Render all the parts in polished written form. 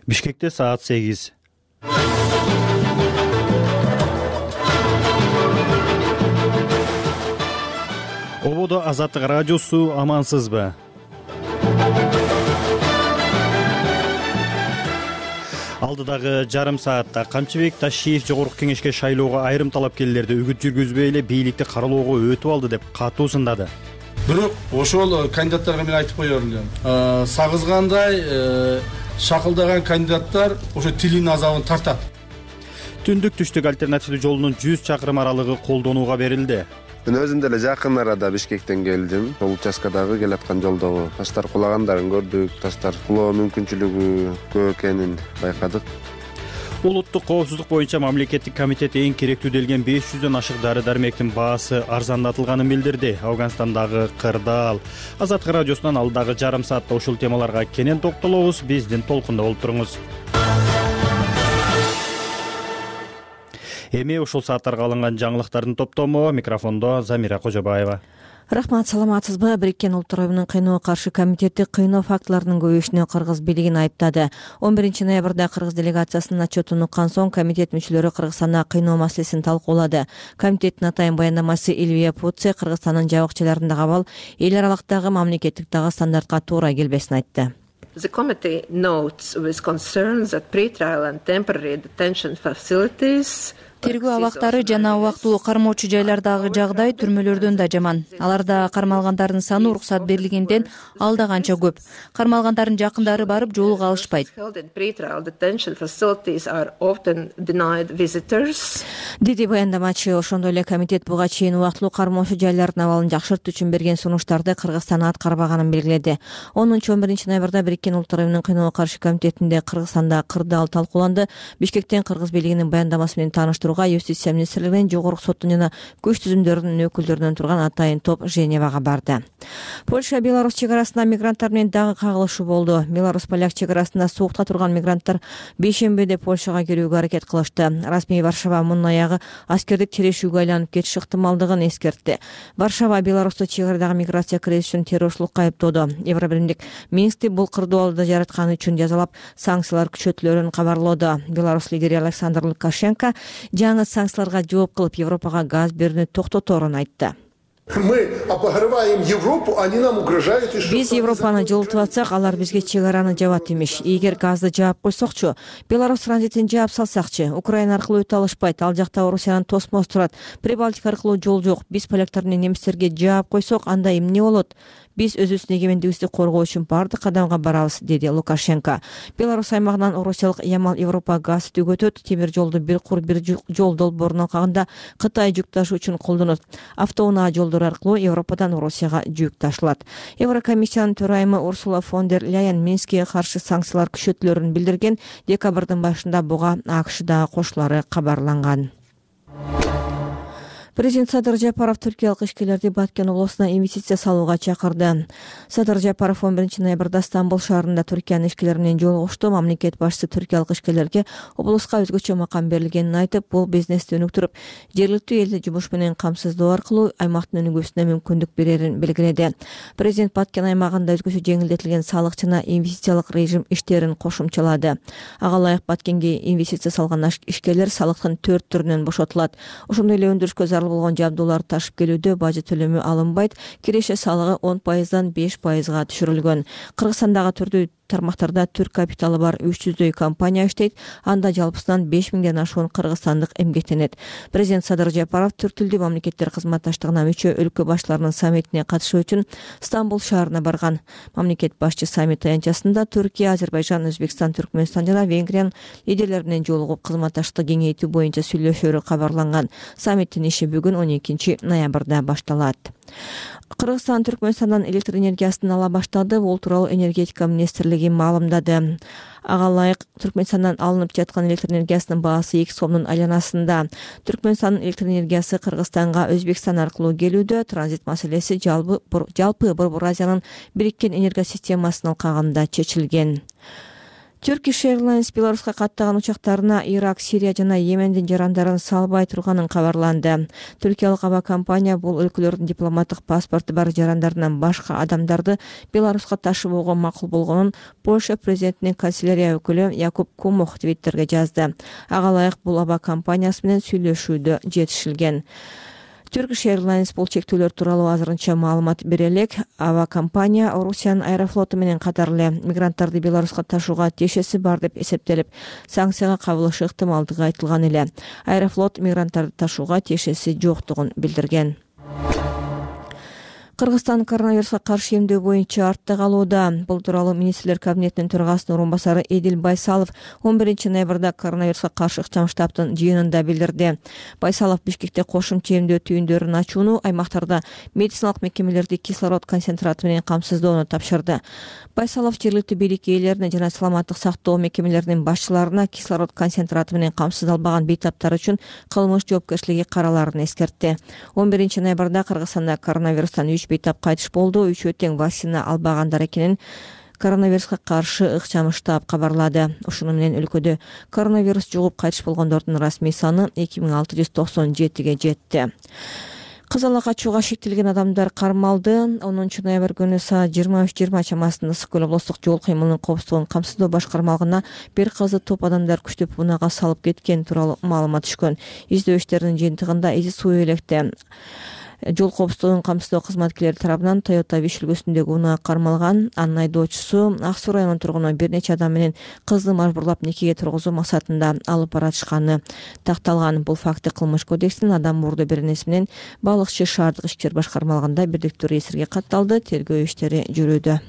Бишкекте саат 8. Ободо Азаттык радиосу, амансызбы? Алдыдагы жарым саатта Камчыбек Ташиев жогорку кеңешке шайлоого айрым талапкерлерди үгүт жүргүзбөй эле бийликти каралоого өтүп алды деп катуу сындады. Бирок ошол кандидаттарга мен айтып коер элем. Сагызгандай шакылдаган кандидаттар ошо тилин азабын тартат. Түндүк түштүк альтернативдүү жолунун 100 чакырым аралыгы колдонууга берилди. Мен өзүм деле жакын арада Бишкектен келдим. Сол участкадагы келаткан жолдогу таштар кулагандарын көрдүк. Таштар кулоо мүмкүнчүлүгү көп экенин байкадык. Улуттук коопсуздук боюнча мамлекеттик комитет эң керектүү делген 500дөн ашык дары-дармектин баасы арзандатылганын билдирди. Афганстандагы кырдаал. Азаттык радиосунан алдагы жарым саатта ушул темаларга кенен токтолобуз. Биздин толкунда болуп туруңуз. Эми ушул сааттарга алынган жаңылыктардын топтому. Микрофондо Замира Кожобаева. Рахмат, саламатсызбы? Бириккен Улуттар Уюмунун кыйноо каршы комитети кыйноо фактыларынын көбөйүшүнө кыргыз бийлигин айыптады. 11-ноябрда кыргыз делегациясынын отчетун уккан соң комитет мүчөлөрү Кыргызстанда кыйноо маселесин талкуулады. Комитеттин атайын баяндамасы Илвия Пуце Кыргызстандын жабык-жайларындагы абал эл аралыктагы мамлекеттик дагы стандартка туура келбесин айтты. The committee notes with concerns that pre-trial and temporary detention facilities тергөө абактары жана убактылуу кармоочу жайлардагы жагдай түрмөлөрдөн да жаман. Аларда кармалгандардын саны уруксат берилгенден алда канча көп. Кармалгандардын жакындары барып жоолуга алышпайт. Деди баяндамачы. Ошондой эле комитет буга чейин убактылуу кармоочу жайлардын абалын жакшыртуу үчүн берген сунуштарды Кыргызстан аткарбаганын белгиледи. 10-11 ноябрда Бириккен Улуттар Уюмунун кыйноо каршы комитетинде Кыргызстанда кырдаал талкууланды. Бишкектен кыргыз бийлигинин баяндамасы менен тааныштырууга Юстиция министрлигинин жогорку соттун жана күч түзүмдөрүнүн өкүлдөрүнөн турган атайын топ Женевага барды. Польша Беларусь чек арасында мигранттар менен дагы кагылышуу болду. Беларусь-поляк чек арасында суукта турган мигранттар бейшембиде Польшага кирүүгө аракет кылышты. Расмий Варшава мунун аягы аскердик терешүүгө айланып кетиш ыктымалдыгын эскертти. Варшава Беларусту чек арадагы миграция кризиси үчүн террорчулукка айыптоодо. Евробиримдик Минскти бул кырдаалды жаратканы үчүн жазалап, санкциялар күчөтүлөрүн кабарлоодо. Беларусь лидери Александр Лукашенко жаңы санкцияларга жооп кылып Европага газ берүүнү токтоторун айтты. Биз Европаны жылытып атсак, алар бизге чек араны жабат имиш. Эгер газды жаап койсокчу, Беларусь транзитин жаап салсакчы, Украина аркылуу өтө алышпайт, ал жакта Орусиянын тосмосу турат, Прибалтика аркылуу жол жок. Биз поляктар менен немистерге жаап койсок, анда эмне болот? Биз өзүбүздүн эгемендигибизди коргоо үчүн бардык кадамга барабыз, деди Лукашенко. Беларусь аймагынан Орусиялык Ямал Европа газ түгөтөт. Темир жолду бир кур бир жол долбоорун алганда Кытай жүк ташуу үчүн колдонот. Автоунаа жолдор аркылуу Европадан Орусияга жүк ташылат. Еврокомиссиянын төрайымы Урсула фон дер Ляйен Минскке каршы санкциялар күчөтүлөрүн билдирген. Декабрдын башында буга АКШ да кошулары кабарланган. Президент Садыр Жапаров түркиялык ишкерлерди Баткен облусуна инвестиция салууга чакырды. Садыр Жапаров 11 ноябрда Стамбул шаарында Түркиянын ишкерлери менен жолугушту. Мамлекет башчысы түркиялык ишкерлерге облуска өзгөчө макам берилгенин айтып, бул бизнести өнүктүрүп, жергиликтүү элди жумуш менен камсыздоо аркылуу аймактын өнүгүүсүнө мүмкүндүк берерин белгиледи. Президент Баткен аймагында өзгөчө жеңилдетилген салык жана инвестициялык режим иштерин кошумчалады. Ага ылайык Баткенге инвестиция салган ишкерлер салыктын 4 түрүнөн бошотулат. Ошондой эле өндүрүшкө болгон жабдууларды ташып келүүдө бажы төлөмү алынбайт. Киреше салыгы 10%дан 5%га түшүрүлгөн. Кыргызстандагы түрдүү тармактарда түрк капиталы бар 300дөй компания иштейт. Анда жалпысынан 5000ден ашуун кыргызстандык эмгектенет. Президент Садыр Жапаров түрк тилдүү мамлекеттер кызматташтыгына мүчө өлкө башчыларынын саммитине катышуу үчүн Стамбул шаарына барган. Мамлекет башчы саммит аянтчасында Түркия, Азербайжан, Өзбекстан, Түркмөнстан жана Венгриянын лидерлери менен жолугуп кызматташтыкты кеңейтүү боюнча сүйлөшөөрү кабарланган. Саммиттин иши бүгүн 12 ноябрда башталат. Кыргызстан Түркмөнстандан электр энергиясын ала баштады. Бул тууралуу энергетика министрлиги маалымдады. Ага ылайык Түркмөнстандан алынып жаткан электр энергиясынын баасы 2 сомдун айланасында. Түркмөнстандын электр энергиясы Кыргызстанга Өзбекстан аркылуу келүүдө. Транзит маселеси жалпы Борбор Азиянын бириккен энергия системасынын алкагында чечилген. Turkish Airlines Беларуска каттаган учактарына Ирак, Сирия жана Йемендин жарандарын салбай турганын кабарланды. Түркиялык авиакомпания бул өлкөлөрдүн дипломаттык паспорту бар жарандарынан башка адамдарды Беларуска ташыбоого макул болгонун Польша президентинин канцелярия өкүлү Якуб Кумох Твиттерге жазды. Ага ылайык бул авиакомпаниясы менен сүйлөшүүдө жетишилген. Turkish Airlines бул чектөөлөр тууралуу азырынча маалымат бере элек. Авиакомпания Орусиянын Аэрофлоту менен катар эле мигранттарды Беларуска ташууга тиешеси бар деп эсептелип, санкцияга кабылышы ыктымалдыгы айтылган эле. Аэрофлот мигранттарды ташууга тиешеси жоктугун билдирген. Кыргызстан коронавируска каршы эмдөө боюнча артта калууда. Бул тууралуу министрлер кабинетинин төрагасынын орун басары Эдил Байсалов 11 ноябрда коронавируска каршы ыкчам штабтын жыйынында билдирди. Байсалов Бишкекте кошумча эмдөө түйүндөрүн ачууну, аймактарда медициналык мекемелерди кислород концентраты менен камсыздоону тапшырды. Байсалов жергиликтүү бийлик ээлерине жана саламаттык сактоо мекемелеринин башчыларына кислород концентраты менен камсыздалбаган бейтаптар үчүн кылмыш жоопкерчилиги караларын эскертти. 11 ноябрда Кыргызстанда коронавирустан 3 бейтап кайтыш болду. 3 тең вакцина албагандар экенин коронавируска каршы ыкчам штаб кабарлады. Ушуну менен өлкөдө коронавирус жугуп кайтыш болгондордун расмий саны 2697ге жетти. Кызыл ак ачууга шектелген адамдар кармалды. 10 ноябрь күнү саат 23:20 чамасында Ысык көл облустук жол кыймылынын коопсуздугун камсыздоо башкармалыгына бир кызды топ адамдар күчтөп унага салып кеткен тууралуу маалымат түшкөн. Издөө иштеринин жыйынтыгында Изи суу электе жол коопсуздугун камсыздоо кызматкерлери тарабынан Toyota Wish үлгүсүндөгү унаа кармалган. Анын айдоочусу Ак суу районунун тургуну бир нече адам менен кызды мажбурлап никеге тургузуу максатында алып баратышканы такталган. Бул факты Кылмыш кодексинин адам мурду беренеси менен балыкчы шаардык ички иштер башкармалыгында бирдиктүү реестрге катталды. Тергөө иштери жүрүүдө.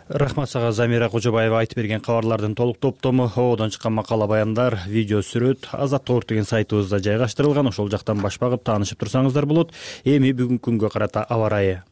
Рахмат сага Замира Кожобаева айтып берген кабарлардын толук топтому, оодон чыккан макала баяндар, видео сүрөт Азаттык деген сайтыбызда жайгаштырылган. Ошол жактан баш багып таанышып турсаңыздар болот. Эми бүгүнкү күнгө карата аба ырайы.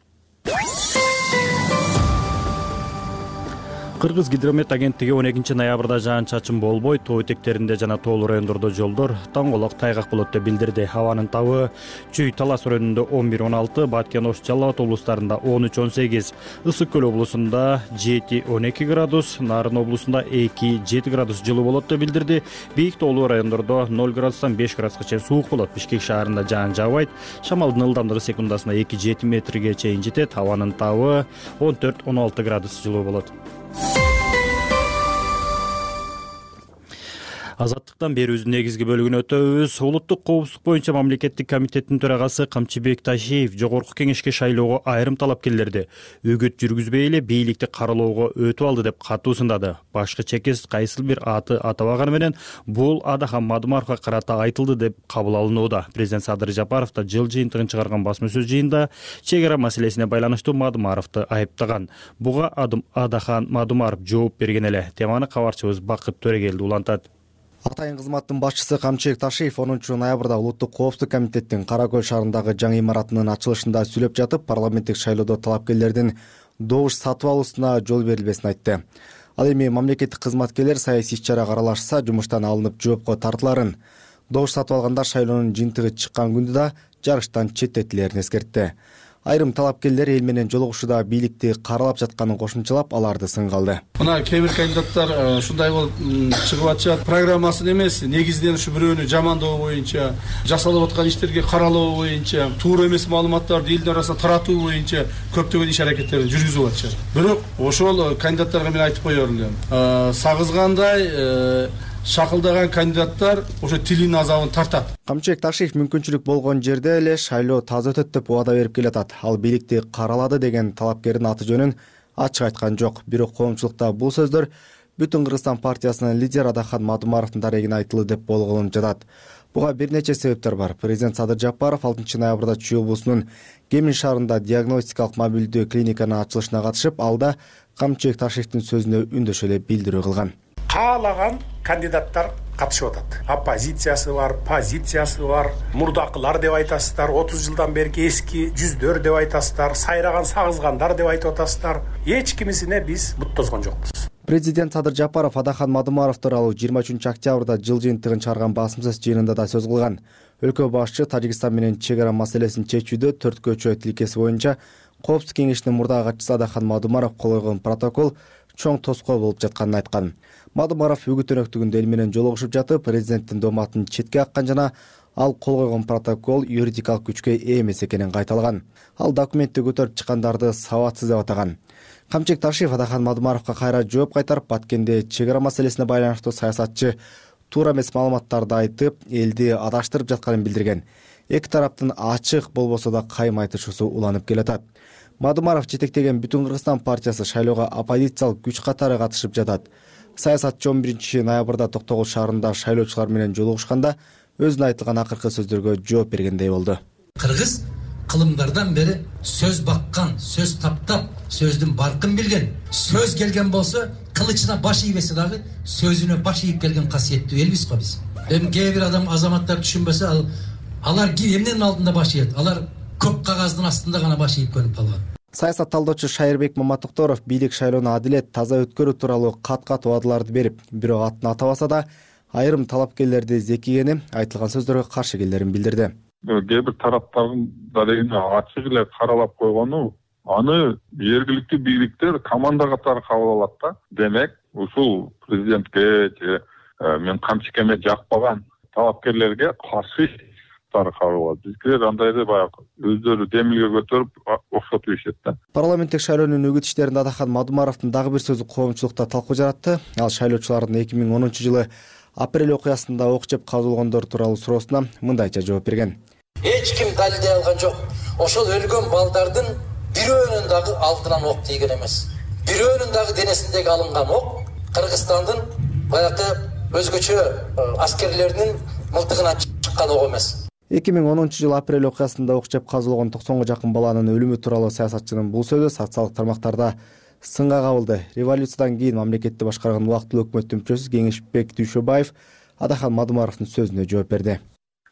Кыргыз гидромет агенттиги 12 ноябрда жаан-чачын болбой, тоо этектеринде жана тоолуу райондордо жолдор таңголок тайгак болот деп билдирди. Абанын табы Чүй Талас районунда 11-16, Баткен Ош Жалал Абад облустарында 13-18, Ысык көл облусунда 7-12 градус, Нарын облусунда 2-7 градус жылуу болот деп билдирди. Бийик тоолуу райондордо 0 градустан 5 градуска чейин суук болот. Бишкек шаарында жаан жаабайт. Шамалдын ылдамдыгы секундасына 2-7 метрге чейин жетет. Абанын табы 14-16 градус жылуу болот. Азаттыктан берүүбүздүн негизги бөлүгүнө өтөбүз. Улуттук коопсуздук боюнча мамлекеттик комитеттин төрагасы Камчыбек Ташиев жогорку кеңешке шайлоого айрым талапкерлерди үгүт жүргүзбөй эле бийликти каралоого өтүп алды деп катуу сындады. Башкы чекес кайсыл бир аты атабаганы менен бул Адахан Мадумаровго карата айтылды деп кабыл алынууда. Президент Садыр Жапаров да жыл жыйынтыгын чыгарган басма сөз жыйында чек ара маселесине байланыштуу Мадумаровду айыптаган. Буга Адахан Мадумаров жооп берген эле. Теманы кабарчыбыз Бакыт Төрегелди улантат. Атайын кызматтын башчысы Камчыбек Ташиев 10 ноябрда Улуттук коопсуздук комитеттин Кара Көл шаарындагы жаңы имаратынын ачылышында сүйлөп жатып, парламенттик шайлоодо талапкерлердин добуш сатып алуусуна жол берилбесин айтты. Ал эми мамлекеттик кызматкерлер саясий иш-чарага аралашса, жумуштан алынып жоопко тартыларын, добуш сатып алгандар шайлоонун жыйынтыгы чыккан күндө да жарыштан четтетилерин эскертти. Айрым талапкерлер эл менен жолугушууда бийликти каралап жатканын кошумчалап, аларды сынга алды. Мына кээ бир кандидаттар ушундай болуп чыгып атышат. Программасын эмес, негизинен ушу бирөөнү жамандоо боюнча, жасалып аткан иштерге каралоо боюнча, туура эмес маалыматтарды элдин арасына таратуу боюнча көптөгөн иш аракеттерди жүргүзүп атышат. Бирок ошол кандидаттарга мен айтып коёр элем. Сагызгандай шакылдаган кандидаттар ошо тилинин азабын тартат. Камчыбек Ташиев мүмкүнчүлүк болгон жерде эле шайлоо таза өтөт деп убада берип келатат. Ал бийликти каралады деген талапкердин аты жөнүн ачык айткан жок. Бирок коомчулукта бул сөздөр Бүтүн Кыргызстан партиясынын лидери Адахан Мадумаровдун дарегине айтылды деп болгонуп жатат. Буга бир нече себептер бар. Президент Садыр Жапаров 6 ноябрда Чүй облусунун Кемин шаарында диагностикалык мобилдүү клиниканын ачылышына катышып, алда Камчыбек Ташиевдин сөзүнө үндөшө эле билдирүү кылган. Каалаган кандидаттар катышып атат. Оппозициясы бар, позициясы бар, мурдакылар деп айтасыздар, 30 жылдан берки эски жүздөр деп айтасыздар, сайраган сагызгандар деп айтып атасыздар. Эч кимисине биз бут тозгон жокпуз. Президент Садыр Жапаров Адахан Мадумаров тууралуу 23 октябрда жыл жыйынтыгын чыгарган басма сөз жыйынында да сөз кылган. Өлкө башчы Тажикстан менен чек ара маселесин чечүүдө төрткөчө тилкеси боюнча Коопсуздук кеңешинин мурдагы катчысы Адахан Мадумаров кол койгон протокол чоң тоскоол болуп жатканын айткан. Мадумаров үгүт өнөктүгүндө эл менен жолугушуп жатып, президенттин дооматын четке каккан жана ал кол койгон протокол юридикалык күчкө ээ эмес экенин кайталаган. Ал документти көтөрүп чыккандарды сабатсыз деп атаган. Камчек Ташиев Адахан Мадумаровго кайра жооп кайтарып, Баткенде чек ара маселесине байланыштуу саясатчы туура эмес маалыматтарды айтып, элди адаштырып жатканын билдирген. Эки тараптын ачык болбосо да кайым айтышуусу уланып келатат. Мадумаров жетектеген Бүтүн Кыргызстан партиясы шайлоого оппозициялык күч катары катышып жатат. Саясатчы 11 ноябрда Токтогул шаарында шайлоочулар менен жолугушканда өзүнө айтылган акыркы сөздөргө жооп бергендей болду. Кыргыз кылымдардан бери сөз баккан, сөз таптап, сөздүн баркын билген, сөз келген болсо кылычына баш ийбесе дагы сөзүнө баш ийип келген касиеттүү элбиз го биз. Эми кээ бир адам азаматтар түшүнбөсө, алар эмненин алдында баш ийет? Алар көк кагаздын астында гана баш ийип көнүп калган. Саясат талдоочу Шайырбек Маматокторов бийлик шайлоону адилет, таза өткөрүү тууралуу кат-кат убадаларды берип, бирок атын атабаса да айрым талапкерлерди зекигени, айтылган сөздөргө каршы келерин билдирди. Кээ бир тараптардын дарегине ачык эле каралап койгону, аны жергиликтүү бийликтер команда катары кабыл алат да. Демек, ушул президентке же мен Камчекеме жакпаган талапкерлерге каршы кабыл алат. Биздер андайды баягы өздөрү демилге көтөрүп окшотуп ишет да. Парламенттик шайлоонун үгүт иштеринде Адахан Мадумаровдун дагы бир сөзү коомчулукта талкуу жаратты. Ал шайлоочулардын 2010 жылы апрель окуясында ок жеп казылгондор тууралуу суроосуна мындайча жооп берген. Эч ким далилдей алган жок. Ошол өлгөн балдардын бирөөнүн дагы алдынан ок тийген эмес. Бирөөнүн дагы денесиндеги алынган ок Кыргызстандын баягы өзгөчө аскерлеринин мылтыгынан чыккан ок эмес. 2010 жылы апрель окуясында ок жеп казылган 90 жакын баланын өлүмү тууралуу саясатчынын бул сөзү социалдык тармактарда сынга кабылды. Революциядан кийин мамлекетти башкарган убактылуу өкмөттүн мүчөсү Кеңешбек Дүйшөбаев Адахан Мадумаровдун сөзүнө жооп берди.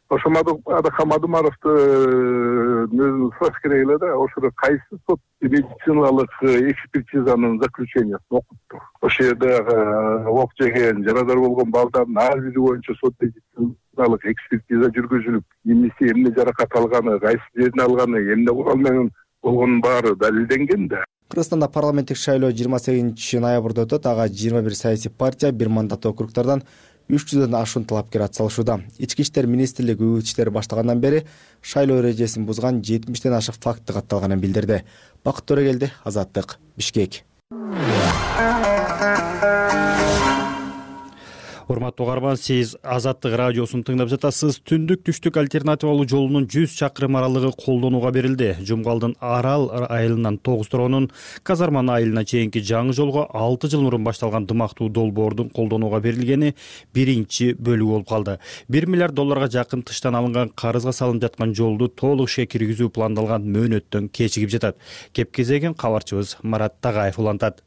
Ошо Адахан Мадумаровду өзү сураш керек эле да, ошо кайсы сот медициналык экспертизанын заключениясын окутту. Ошол жерде ок жеген, жарадар болгон балдардын ар бири боюнча сот медициналык экспертиза жүргүзүлүп, эмне жаракат алганы, кайсы жерин алганы, эмне курал менен болгонун баары далилденген да. Кыргызстанда парламенттик шайлоо 28 ноябрда өтөт. Ага 21 саясий партия, бир мандаттуу округдардан 300дөн ашуун талапкер атсалышууда. Ички иштер министрлиги үгүт иштери баштагандан бери шайлоо эрежесин бузган 70ден ашык факты катталганын билдирди. Бакыт Төрөгелди, Азаттык, Бишкек. Урматтуу угарман, сиз Азаттык радиосун тыңдап жатасыз. Түндүк түштүк альтернативалуу жолунун 100 чакырым аралыгы колдонууга берилди. Жумгалдын Арал айылынан Тогусторонун Казарман айылына чейинки жаңы жолго 6 жыл мурун башталган дымактуу долбоордун колдонууга берилгени биринчи бөлүгү болуп калды. 1 миллиард долларга жакын тыштан алынган карызга салынып жаткан жолду толук ишке киргизүү пландалган мөөнөттөн кечигип жатат. Кеп кезегин кабарчыбыз Марат Тагаев улантат.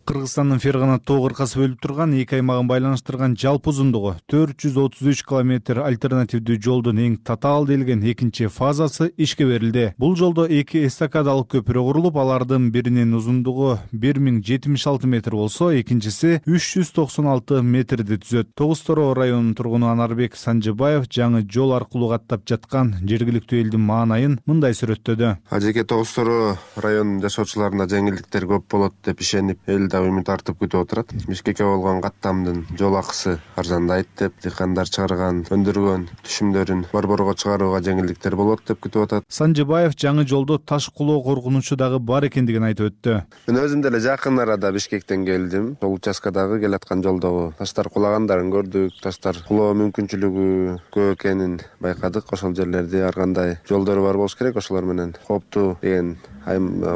Кыргызстандын Фергана тоо кыркасы бөлүп турган эки аймагын байланыштырган жалпы узундугу 433 километр альтернативдүү жолдун эң татаал делген экинчи фазасы ишке берилди. Бул жолдо эки эстакадалык көпүрө курулуп, алардын биринин узундугу 1076 метр болсо, экинчиси 396 метрди түзөт. Тогустороо районунун тургуну Анарбек Санжыбаев жаңы жол аркылуу каттап жаткан жергиликтүү элдин маанайын мындай сүрөттөдү. Ажеке Тогустороо районунун жашоочуларына жеңилдиктер көп болот деп ишенип, үмүт артып күтүп отурат. Бишкекке болгон каттамдын жол акысы арзандайт деп, дыйкандар чыгарган, өндүргөн түшүмдөрүн борборго чыгарууга жеңилдиктер болот деп күтүп атат. Санжыбаев жаңы жолдо таш кулоо коркунучу дагы бар экендигин айтып өттү. Мен өзүм деле жакын арада Бишкектен келдим. Жол участкадагы келаткан жолдогу таштар кулагандарын көрдүк. Таштар кулоо мүмкүнчүлүгү көп экенин байкадык. Ошол жерлерди ар кандай жолдору бар болуш керек. Ошолор менен кооптуу деген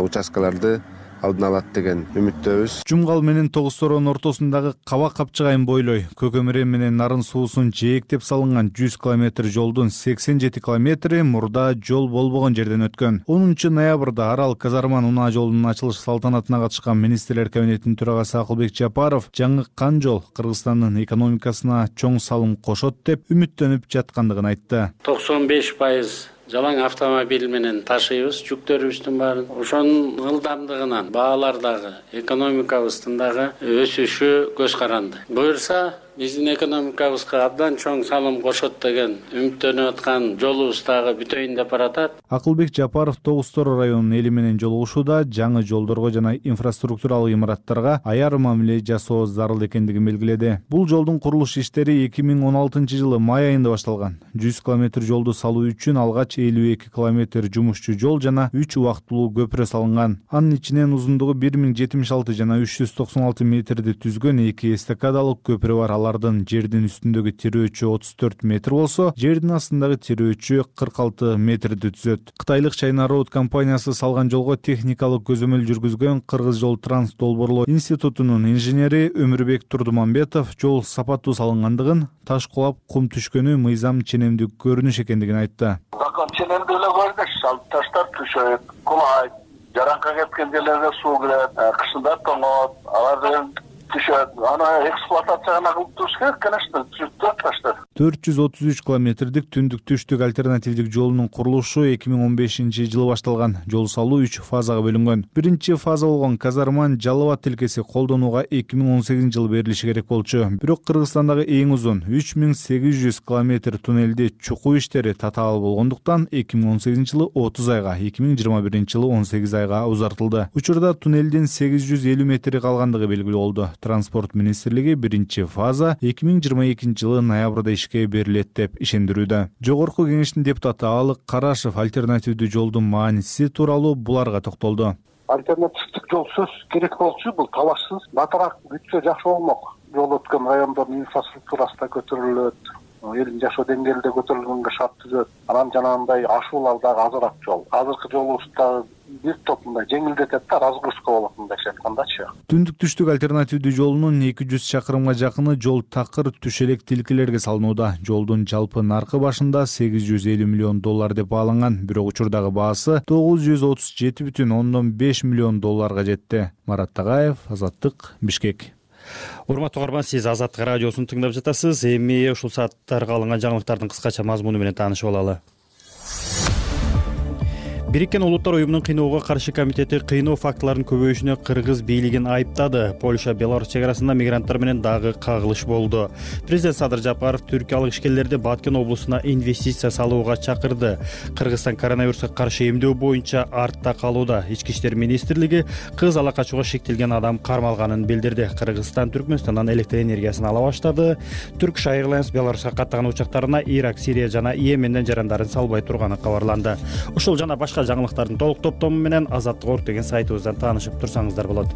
участкаларды алдын алат деген үмүттөбүз. Жумгал менен Тогусторонун ортосундагы Каба Капчыгайын бойлой Көкөмүрө менен Нарын суусун жээктеп салынган 100 км жолдун 87 км мурда жол болбогон жерден өткөн. 10 ноябрда Арал Казарман унаа жолунун ачылыш салтанатына катышкан министрлер кабинетинин төрагасы Акылбек Жапаров жаңы кан жол Кыргызстандын экономикасына чоң салым кошот деп үмүттөнүп жаткандыгын айтты. 95% жалаң автомобиль менен ташыйбыз жүктөрүбүздүн баарын. Ошонун ылдамдыгынан баалардагы экономикабыздын дагы өсүшү көз каранды. Буюрса биздин экономикабызга абдан чоң салым кошот деген үмүттөнүп аткан жолубуз дагы бүтөйүн деп баратат. Акылбек Жапаров Тогуз Тор районунун эли менен жолугушууда жаңы жолдорго жана инфраструктуралык имараттарга аяр мамиле жасоо зарыл экендигин белгиледи. Бул жолдун курулуш иштери 2016-жылы май айында башталган. 100 километр жолду салуу үчүн алгач 52 километр жумушчу жол жана 3 убактылуу көпүрө салынган. Анын ичинен узундугу 1076 жана 396 метрди түзгөн 2 эстакадалык көпүрө бар. Алардын жердин үстүндөгү тирөөчү 34 метр болсо, жердин астындагы тирөөчү 46 метрди түзөт. Кытайлык China Road компаниясы салган жолго техникалык көзөмөл жүргүзгөн Кыргыз жол транс долбоорлоо институтунун инженери Өмүрбек Турдумамбетов жол сапаттуу салынгандыгын, таш кулап кум түшкөнү мыйзам ченемдүү көрүнүш экендигин айтты. Закон ченемдүү эле көрүнүш, таштар түшөт, кулайт, жаранка кеткен жерлерге суу кирет, кышында тоңот, алар түшөт. Аны эксплуатацияга кылып туруш керек, конечно, түшөт таштар. 433 километрдик түндүк түштүк альтернативдик жолунун курулушу 2015-жылы башталган. Жол салуу 3 фазага бөлүнгөн. Биринчи фаза болгон Казарман-Жалал Абад тилкеси колдонууга 2018-жылы берилиши керек болчу. Бирок Кыргызстандагы эң узун 3800 километр туннелди чукуу иштери татаал болгондуктан 2018-жылы 30 айга, 2021-жылы 18 айга узартылды. Учурда туннелдин 850 метри калгандыгы белгилүү болду. Транспорт министрлиги биринчи фаза 2022-жылы ноябрда ишке берилет деп ишендирүүдө. Жогорку кеңештин депутаты Алык Карашев альтернативдүү жолдун мааниси тууралуу буларга токтолду. Альтернативдик жол сөз керек болчу, бул талашсыз. Батыраак бүтсө жакшы болмок. Жол өткөн райондордун инфраструктурасы да көтөрүлөт. Элдин жашоо деңгээли да көтөрүлгөнгө шарт түзөт. Анан жанагындай ашуулар дагы азыраак жол. Азыркы жолубузда бир топ мындай жеңилдетет да, разгрузка болот мындайча айткандачы. Түндүк түштүк альтернативдүү жолунун 200 чакырымга жакыны жол такыр түшелек тилкелерге салынууда. Жолдун жалпы наркы башында $850 миллион деп бааланган, бирок учурдагы баасы $937,5 миллион жетти. Марат Тагаев, Азаттык, Бишкек. Урматтуу угарман, сиз Азаттык радиосун тыңдап жатасыз. Эми ушул сааттарга алынган жаңылыктардын кыскача мазмуну менен таанышып алалы. Бириккен Улуттар уюмунун кыйноого каршы комитети кыйноо фактыларынын көбөйүшүнө Кыргыз бийлигин айыптады. Польша Беларусь чек арасында мигранттар менен дагы кагылыш болду. Президент Садыр Жапаров түркиялык ишкерлерди Баткен облусуна инвестиция салууга чакырды. Кыргызстан коронавируска каршы эмдөө боюнча артта калууда. Ички иштер министрлиги кыз ала качууга шектелген адам кармалганын билдирди. Кыргызстан Түркмөнстандан электр энергиясын ала баштады. Turkish Airlines Беларуска каттаган учактарына Ирак, Сирия жана Йеменден жарандарын салбай турганы кабарланды. Ушул жана башка жаңылыктардын толук топтому менен Азаттык.орг деген сайтыбыздан таанышып турсаңыздар болот.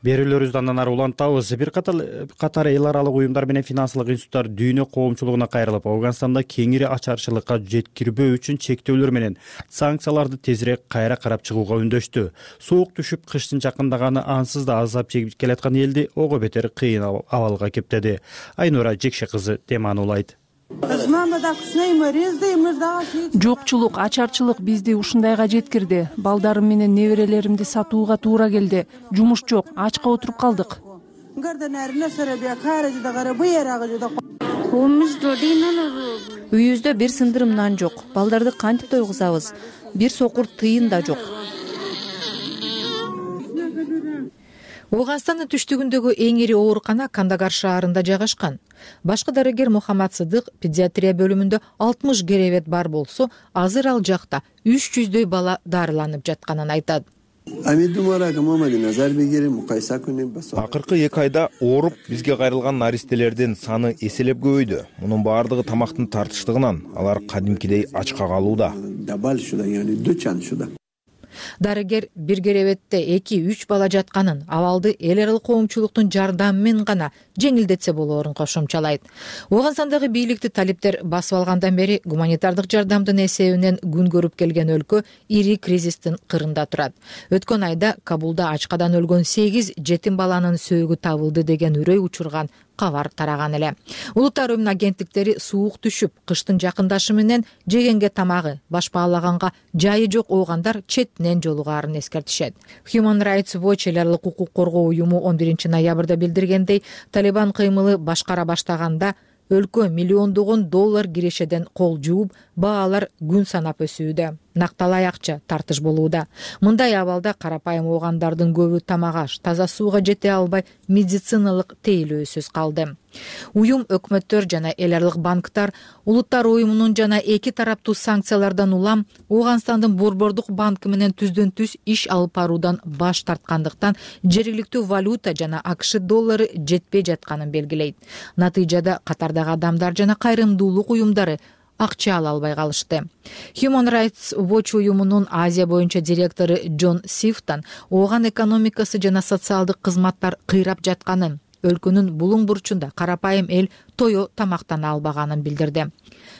Берүүлөрүбүздү андан ары улантабыз. Бир катар эл аралык уюмдар менен финансылык институттар дүйнө коомчулугуна кайрылып, Афганстанда кеңири ачарчылыкка жеткирбөө үчүн чектөөлөр менен санкцияларды тезирээк кайра карап чыгууга үндөштү. Суук түшүп, кыштын жакындаганы ансыз да азап чегип келаткан элди ого бетер кыйын абалга кептеди. Айнура Жекше кызы теманы улайт. Жокчулук, ачарчылык бизди ушундайга жеткирди. Балдарым менен неберелеримди сатууга туура келди. Жумуш жок, ачка отуруп калдык. Үйүбүздө бир сындырым нан жок. Балдарды кантип тойгузабыз? Бир сокур тыйын да жок. Афганстандын түштүгүндөгү эң ири оорукана Кандагар шаарында жайгашкан. Башкы дарыгер Мухаммад Сыдык педиатрия бөлүмүндө 60 керебет бар болсо, азыр ал жакта 300дөй бала дарыланып жатканын айтат. Акыркы 2 айда ооруп бизге кайрылган наристелердин саны эселеп көбөйдү. Мунун баардыгы тамактын тартыштыгынан, алар кадимкидей ачка калууда. Дарыгер бир керебетте 2-3 бала жатканын, абалды эл аралык коомчулуктун жардамы менен гана жеңилдетсе болоорун кошумчалайт. Афганстандагы бийликти талиптер басып алгандан бери гуманитардык жардамдын эсебинен күн көрүп келген өлкө ири кризистин кырында турат. Өткөн айда Кабулда ачкадан өлгөн 8 жетим баланын сөөгү табылды деген үрөй учурган кабар тараган эле. Улуттар уюмунун агенттиктери суук түшүп, кыштын жакындашы менен жегенге тамагы, баш баалаганга жайы жок оогандар четинен жолугаарын эскертишет. Human Rights Watch эл аралык укук коргоо уюму 11 ноябрда билдиргендей, Талибан кыймылы башкара баштаганда өлкө миллиондогон доллар кирешеден кол жууп, баалар күн санап өсүүдө. накталай акча тартыш болууда. Мындай абалда карапайым оогандардын көбү тамак аш, таза сууга жете албай медициналык тейлөөсүз калды. Уюм өкмөттөр жана эл аралык банктар улуттар уюмунун жана эки тараптуу санкциялардан улам Ооганстандын Борбордук банкы менен түздөн түз иш алып баруудан баш тарткандыктан жергиликтүү валюта жана АКШ доллары жетпей жатканын белгилейт. Натыйжада катардагы адамдар жана кайрымдуулук уюмдары акча ала албай калышты. Human Rights Watch уюмунун Азия боюнча директору Джон Сифтон Ооган экономикасы жана социалдык кызматтар кыйрап жатканын, өлкөнүн булуң бурчунда карапайым эл тое тамактана албаганын билдирди.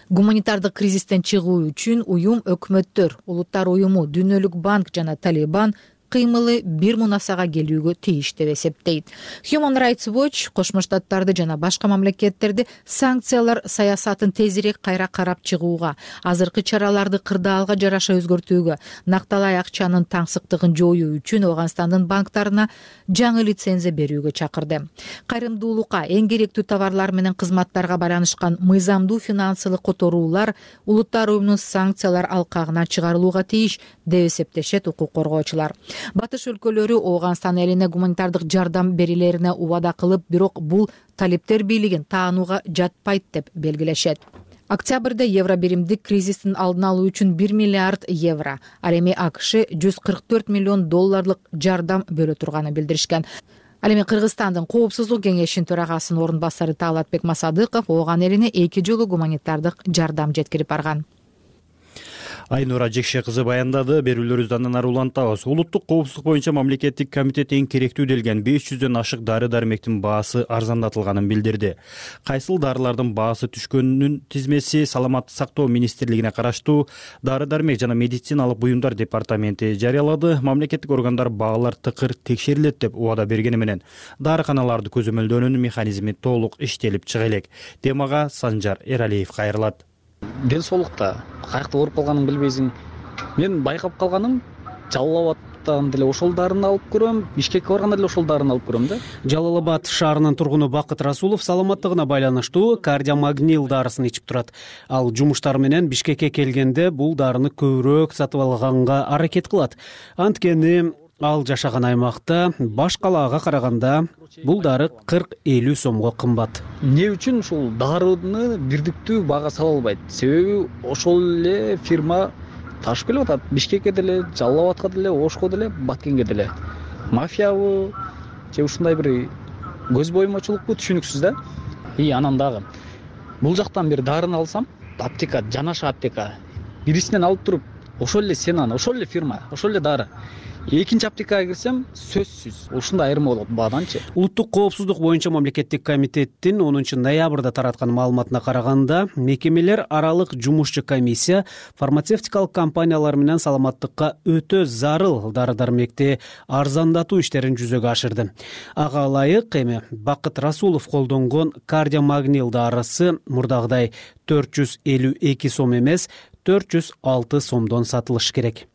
Гуманитардык кризистен чыгуу үчүн уюм өкмөттөр, улуттар уюму, Дүйнөлүк банк жана Талибан кыймылы бир мунасага келүүгө тийиш деп эсептейт. Human Rights Watch Кошмо Штаттарды жана башка мамлекеттерди санкциялар саясатын тезирээк кайра карап чыгууга, азыркы чараларды кырдаалга жараша өзгөртүүгө, накталай акчанын таңсыктыгын жоюу үчүн Ооганстандын банктарына жаңы лицензия берүүгө чакырды. Кайрымдуулукка, эң керектүү товарлар менен кызматтарга байланышкан мыйзамдуу финансылык которуулар улуттар уюмунун санкциялар алкагына чыгарылууга тийиш деп эсептешет укук коргоочулар. Батыш өлкөлөрү Ооганстан элине гуманитардык жардам берилерине убада кылып, бирок бул талиптер бийлигин таанууга жатпайт деп белгилешет. Октябрда евро биримдик кризистин алдын алуу үчүн 1 миллиард евро, ал эми АКШ 144 миллион долларлык жардам бөлө турганын билдиришкен. Ал эми Кыргызстандын Коопсуздук кеңешинин төрагасынын орун басары Таалатбек Масадыков Ооган элине 2 жолу гуманитардык жардам жеткирип барган. Айнура Жекше кызы баяндады. Берүүлөрүбүздү андан ары улантабыз. Улуттук коопсуздук боюнча мамлекеттик комитет эң керектүү делген 500дөн ашык дары-дармектин баасы арзандатылганын билдирди. Кайсыл дарылардын баасы түшкөнүнүн тизмеси Саламаттык сактоо министрлигине караштуу дары-дармек жана медициналык буюмдар департаменти жарыялады. Мамлекеттик органдар баалар тыкыр текшерилет деп убада бергени менен дарыканаларды көзөмөлдөөнүн механизми толук иштелип чыга элек. Темага Санжар Эралиев кайрылат. Ден соолукта каякта ооруп калганын билбейсиң. Мен байкап калганым Жалал абадтан деле ошол дарыны алып көрөм, Бишкекке барганда деле ошол дарыны алып көрөм да. Жалал абад шаарынын тургуну Бакыт Расулов саламаттыгына байланыштуу кардиомагнил дарысын ичип турат. Ал жумуштар менен Бишкекке келгенде бул дарыны көбүрөөк сатып алганга аракет кылат. Анткени ал жашаган аймакта баш калаага караганда бул дары 40-50 сомго кымбат. Эмне үчүн ушул дарыны бирдиктүү баага сала албайт? Себеби ошол эле фирма ташып келип атат. Бишкекке деле, Жалал абадка деле, Ошко деле, Баткенге деле. Мафиябы же ушундай бир көз боюмачулукпу түшүнүксүз да. Анан дагы бул жактан бир дарыны алсам, аптека, жанаша аптека бирисинен алып туруп, ошол эле сенан, ошол эле фирма, ошол эле дары. Экинчи аптекага кирсем, сөзсүз ушундай айырма болот бааданчы. Улуттук коопсуздук боюнча мамлекеттик комитеттин 10 ноябрда тараткан маалыматына караганда, мекемелер аралык жумушчу комиссия фармацевтикалык компаниялар менен саламаттыкка өтө зарыл дары-дармекти арзандатуу иштерин жүзөгө ашырды. Ага ылайык эми Бакыт Расулов колдонгон кардиомагнил дарысы мурдагыдай 452 сом эмес, 406 сомдон сатылыш керек.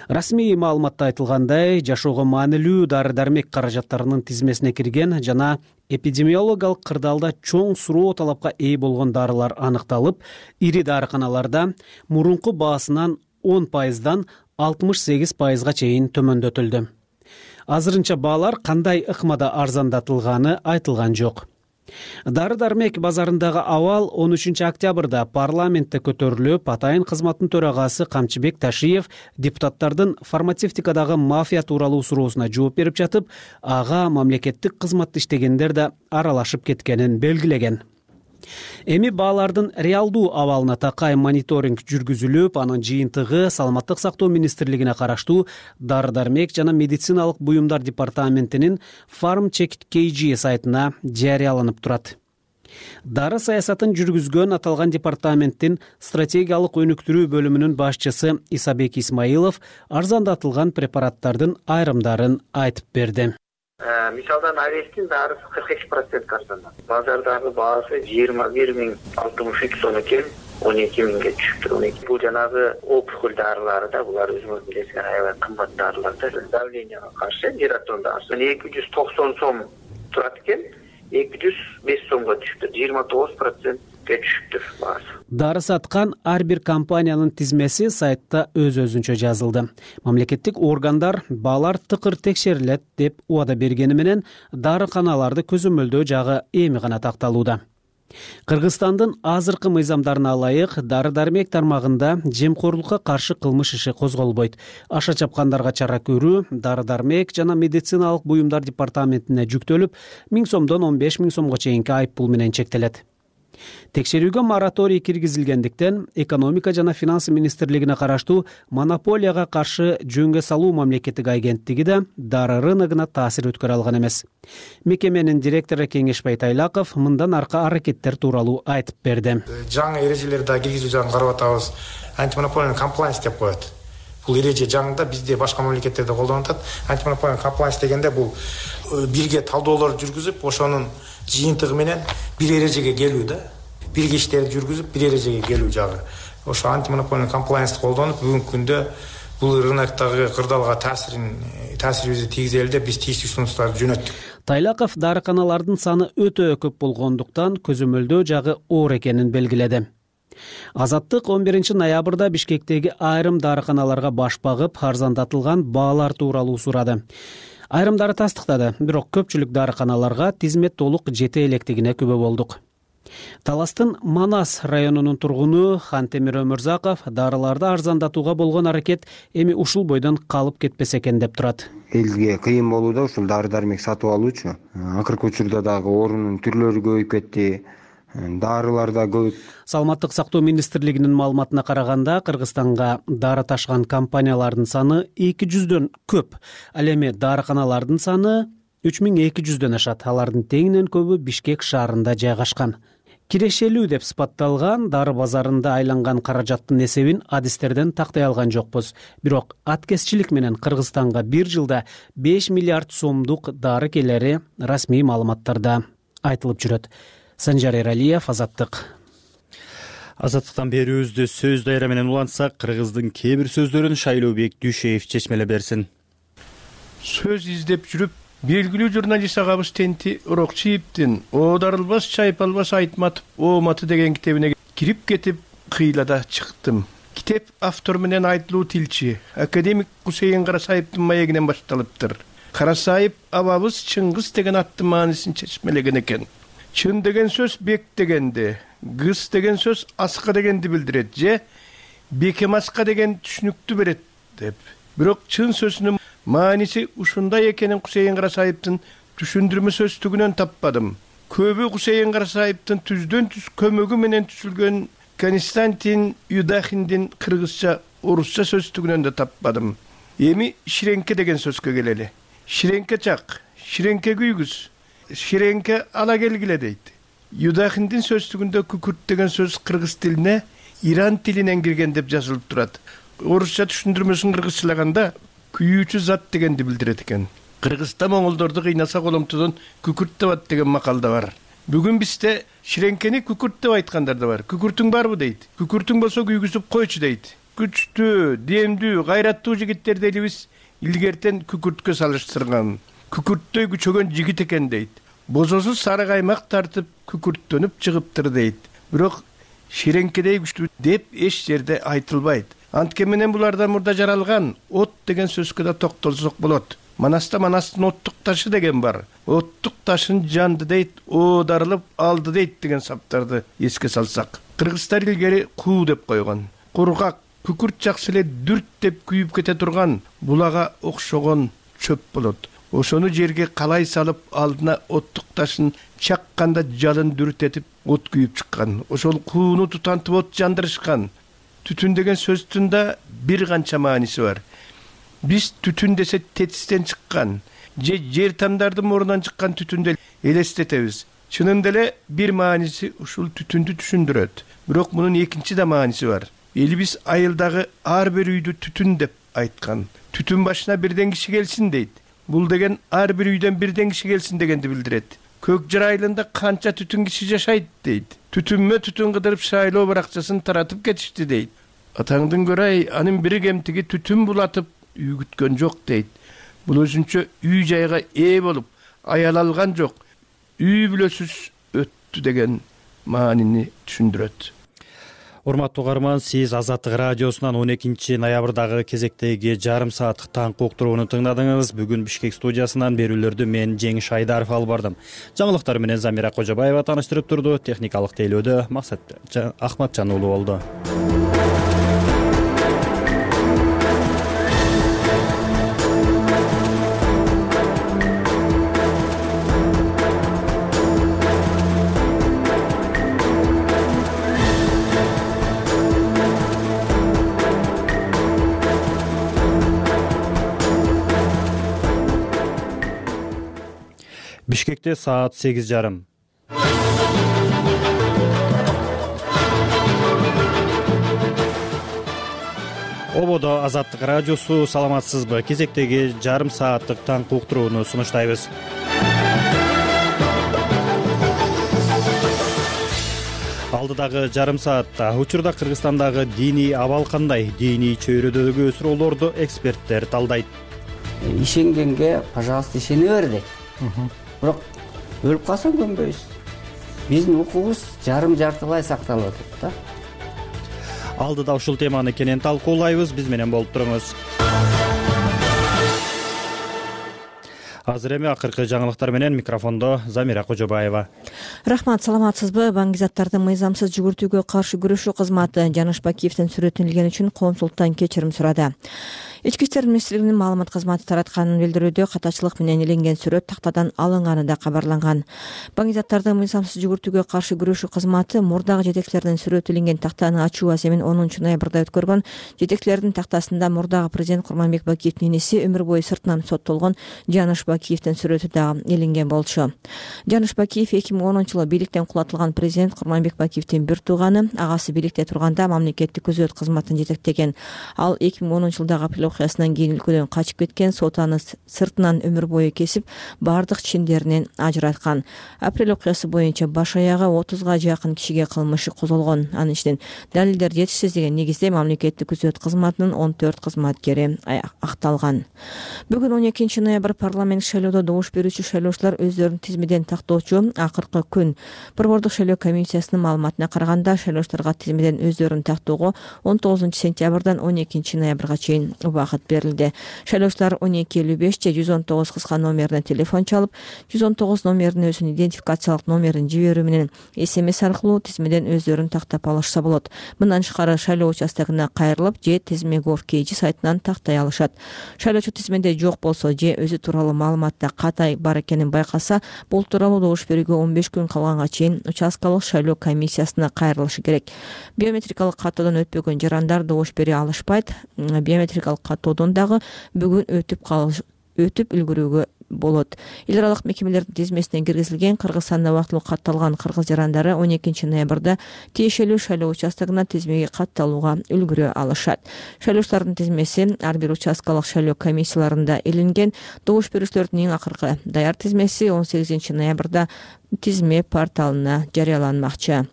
Расмий маалыматта айтылгандай, жашоого маанилүү дары-дармек каражаттарынын тизмесине кирген жана эпидемиологиялык кырдаалда чоң суроо талапка ээ болгон дарылар аныкталып, ири дарыканаларда мурунку баасынан 10%дан 68%га чейин төмөндөтүлдү. Азырынча баалар кандай ыкмада арзандатылганы айтылган жок. Дары-дармек базарындагы абал 13 октябрда парламентте көтөрүлүп, атайын кызматтын төрагасы Камчыбек Ташиев депутаттардын фармацевтикадагы мафия тууралуу суроосуна жооп берип жатып, ага мамлекеттик кызматты иштегендер да аралашып кеткенин белгилеген. Эми баалардын реалдуу абалына такай мониторинг жүргүзүлүп, анын жыйынтыгы Саламаттык сактоо министрлигине караштуу дары-дармек жана медициналык буюмдар департаментинин FarmCheck.kg сайтына жарыяланып турат. Дары саясатын жүргүзгөн аталган департаменттин стратегиялык өнүктүрүү бөлүмүнүн башчысы Исабек Исмаилов арзандатылган препараттардын айрымдарын айтып берди. Мисалдан Авестин дарысы 43% арзандат. Базардагы баасы 21.063 сом экен, 12.000ге түшүптүр. Бул жанагы опухоль дарылары да, булар өзүңөр билесиңер, аябай кымбат дарылар да. Давленияга каршы Диратон дарысы 290 сом турат экен, 205 сомго түшүптүр. 29% түшүптүр баасы. Дары саткан ар бир компаниянын тизмеси сайтта өз-өзүнчө жазылды. Мамлекеттик органдар баалар тыкыр текшерилет деп убада бергени менен дарыканаларды көзөмөлдөө жагы эми гана такталууда. Кыргызстандын азыркы мыйзамдарына ылайык дары-дармек тармагында жемкорлукка каршы кылмыш иши козголбойт. Аша чапкандарга чара көрүү дары-дармек жана медициналык буюмдар департаментине жүктөлүп, 1000 сомдон 15 000 сомго чейинки айыппул менен чектелет. Текшерүүгө мораторий киргизилгендиктен экономика жана финансы министрлигине караштуу монополияга каршы жөнгө салуу мамлекеттик агенттиги да дары рыногуна таасир өткөрө алган эмес. Мекеменин директору Кеңешбай Тайлаков мындан аркы аракеттер тууралуу айтып берди. Жаңы эрежелерди киргизүү жагын карап атабыз. Антимонополиялык комплайнс деп коет. Бул эреже жаңында бизде башка мамлекеттерде колдонулуп атат. Антимонополиялык комплайнс дегенде бул бирге талдоолор жүргүзүп, ошонун жыйынтыгы менен бир эрежеге келүү да. Бирге иштерди жүргүзүп, бир эрежеге келүү жагы. Ошо антимонополиялык комплайнсты колдонуп, бүгүнкү күндө бул рыноктогу кырдаалга таасирибизди тийгизели деп биз тийиштүү сунуштарды жөнөттүк. Тайлаков дарыканалардын саны өтө көп болгондуктан көзөмөлдөө жагы оор экенин белгиледи. Азаттык 11 ноябрда Бишкектеги айрым дарыканаларга баш багып, арзандатылган баалар тууралуу сурады. Айрымдары тастыктады, бирок көпчүлүк дарыканаларга тизмет толук жете электигине күбө болдук. Таластын Манас районунун тургуну Хантемир Өмүрзаков дарыларды арзандатууга болгон аракет эми ушул бойдон калып кетпесе экен деп турат. Элге кыйын болууда ушул дары-дармек сатып алуучу. Акыркы учурда дагы орунун түрлөрү көбөйүп кетти. Дарылар да көп. Саламаттык сактоо министрлигинин маалыматына караганда, Кыргызстанга дары ташыган компаниялардын саны 200дөн көп. Ал эми дарыканалардын саны 3200дөн ашат. Алардын теңинен көбү Бишкек шаарында жайгашкан. Кирешелүү деп сыпатталган дары базарында айланган каражаттын эсебин адистерден тактай алган жокпуз. Бирок аткезчилик менен Кыргызстанга бир жылда 5 миллиард сомдук дары келери расмий маалыматтарда айтылып жүрөт. Санжар Эралиев, Азаттык. Азаттыктан берүүбүздү сөз дайра менен улантсак, кыргыздын кээ бир сөздөрүн Шайлообек Дүйшеев чечмеле берсин. Сөз издеп жүрүп, белгилүү журналист агабыз Тенти Урокчиевдин "Оодарылбас чайпалбас айтматып, ооматы" деген китебине кирип кетип, кыйлада чыктым. Китеп автор менен айтылуу тилчи академик Кусейин Карасаевдин маегинен башталыптыр. Карасаев абабыз Чыңгыз деген аттын маанисин чечмелеген экен. Чын деген сөз бек дегенди, кыз деген сөз аска дегенди билдирет же бекем аска деген түшүнүктү берет деп. Бирок чын сөзүнүн мааниси ушундай экенин Кусейин Карасаевдин түшүндүрмө сөздүгүнөн таппадым. Көбү Кусейин Карасаевдин түздөн түз көмөгү менен түзүлгөн Константин Юдахиндин кыргызча, орусча сөздүгүнөн да таппадым. Эми ширенке деген сөзгө келели. Ширенке чак, ширенке күйгүз, ширенке ала келгиле дейт. Юдахиндин сөздүгүндө күкүрт деген сөз кыргыз тилине Иран тилинен кирген деп жазылып турат. Орусча түшүндүрмөсүн кыргызчалаганда күйүүчү зат дегенди билдирет экен. Кыргызда моңолдорду кыйнаса коломтодон күкүрт табат деген макал да бар. Бүгүн бизде ширенкени күкүрт деп айткандар да бар. Күкүртүң барбы дейт. Күкүртүң болсо күйгүзүп койчу дейт. Күчтүү, демдүү, гайраттуу жигиттерди элибиз илгертен күкүрткө салыштырган. Күкүрттөй күчөгөн жигит экен дейт. Бозосу сары каймак тартып күкүрттөнүп чыгыптыр дейт. Бирок ширенкедей күчтүү деп эч жерде айтылбайт. Анткени менен булардан мурда жаралган от деген сөзгө да токтолсок болот. Манаста Манастын оттук ташы деген бар. Оттук ташын жанды дейт, оодарылып алды дейт деген саптарды эске салсак. Кыргыздар илгери куу деп койгон. Кургак, күкүрт жакшы эле дүрт деп күйүп кете турган булага окшогон чөп болот. Ошону жерге калай салып алдына оттук ташын чакканда жалын дүртетип от күйүп чыккан. Ошол кууну тутантып от жандырышкан. Түтүн деген сөздүн да бир канча мааниси бар. Биз түтүн десе тетистен чыккан, же жер тамдардын морунан чыккан түтүндү элестетебиз. Чынында эле бир мааниси ушул түтүндү түшүндүрөт. Бирок мунун экинчи да мааниси бар. Элибиз айылдагы ар бир үйдү түтүн деп айткан. Түтүн башына бирден киши келсин дейт. Бул деген ар бир үйдөн бирден киши келсин дегенди билдирет. Көк жыр айылында канча түтүн киши жашайт дейт. Түтүнмө түтүн кыдырып шайлоо баракчасын таратып кетишти дейт. Атаңдын көрөй, анын бири кемтиги түтүн булатып үйгүткөн жок дейт. Бул өзүнчө үй жайга ээ болуп, аял алган жок. Үй бүлөсүз өттү деген маанини түшүндүрөт. Урматтуу угарман, сиз Азаттык радиосунан 12 ноябрдагы кезектеги жарым сааттык таңкы уктурууну тыңдадыңыз. Бүгүн Бишкек студиясынан берүүлөрдү мен Жеңиш Айдаров алып бардым. Жаңылыктар менен Замира Кожобаева тааныштырып турду. Техникалык тейлөөдө Максат Ахматжан уулу болду. Бишкекте саат 8:30. Ободо Азаттык радиосу, саламатсызбы? Кезектеги жарым сааттык таңкы уктурууну сунуштайбыз. Алдыдагы жарым саатта учурда Кыргызстандагы диний абал кандай? Диний чөйрөдөгү суроолорду эксперттер талдайт. Ишенгенге, пожалуйста, ишене бер дейт. Бирок өлүп калсаң көнбөйсүз. Биздин укугубуз жарым-жартылай сакталып атат да. Алдыда ушул теманы кенен талкуулайбыз. Биз менен болуп туруңуз. Азыр эми акыркы жаңылыктар менен микрофондо Замира Кожобаева. Рахмат, саламатсызбы? Баңгизаттарды мыйзамсыз жүгүртүүгө каршы күрөшүү кызматы Жаныш Бакиевдин сүрөтүнүлгени үчүн коомчулуктан кечирим сурады. Ички иштер министрлигинин маалымат кызматы таратканын билдирүүдө катачылык менен иленген сүрөт тактадан алынганы да кабарланган. Баңгизаттарды мыйзамсыз жүгүртүүгө каршы күрөшүү кызматы мурдагы жетекчилердин сүрөтү иленген тактаны ачуу аземин 10 ноябрда өткөргөн. Жетекчилердин тактасында мурдагы президент Курманбек Бакиевдин энеси өмүр бою сыртынан соттолгон Жаныш Бакиевдин сүрөтү дагы иленген болчу. Жаныш Бакиев 2010-жылы бийликтен кулатылган президент Курманбек Бакиевдин бир тууганы, агасы бийликте турганда мамлекеттик күзөт кызматын жетектеген. Ал 2010-жылдагы апрель окуясынан кийин өлкөдөн качып кеткен, сот аны сыртынан өмүр бою кесип, бардык чиндеринен ажыраткан. Апрель окуясы боюнча баш аягы 30га жакын кишиге кылмыш козголгон. Анын ичинен далилдер жетишсиз деген негизде мамлекеттик күзөт кызматынын 14 кызматкери акталган. Бүгүн 12 ноябрь парламент шайлоодо добуш берүүчү шайлоочулар өздөрүнүн тизмеден тактоочу акыркы күн. Борбордук шайлоо комиссиясынын маалыматына караганда, шайлоочуларга тизмеден өздөрүн тактоого 19 сентябрдан 12 ноябрга чейин убакыт берилди. Шайлоочулар 12:55 же 119 кыска номерине телефон чалып, 119 номеринин өзүнүн идентификациялык номерин жиберүү менен SMS аркылуу тизмеден өздөрүн тактап алышса болот. Мындан тышкары шайлоо участогуна кайрылып же Тизме.gov.kg сайтынан тактай алышат. Шайлоочу тизмеде жок болсо же өзү тууралуу маалыматта катай бар экенин байкаса, бул тууралуу добуш берүүгө 15 күн калганга чейин участкалык шайлоо комиссиясына кайрылышы керек. Биометрикалык каттоодон өтпөгөн жарандар добуш бере алышпайт. Биометрикалык каттоодон дагы бүгүн өтүп үлгүрүүгө болот. Эл аралык мекемелердин тизмесине киргизилген Кыргызстанда убактылуу катталган кыргыз жарандары 12 ноябрда тиешелүү шайлоо участогуна тизмеге катталууга үлгүрө алышат. Шайлоочулардын тизмеси ар бир участкалык шайлоо комиссияларында иленген. Добуш берүүчүлөрдүн эң акыркы даяр тизмеси 18 ноябрда тизме порталына жарыяланмакчы.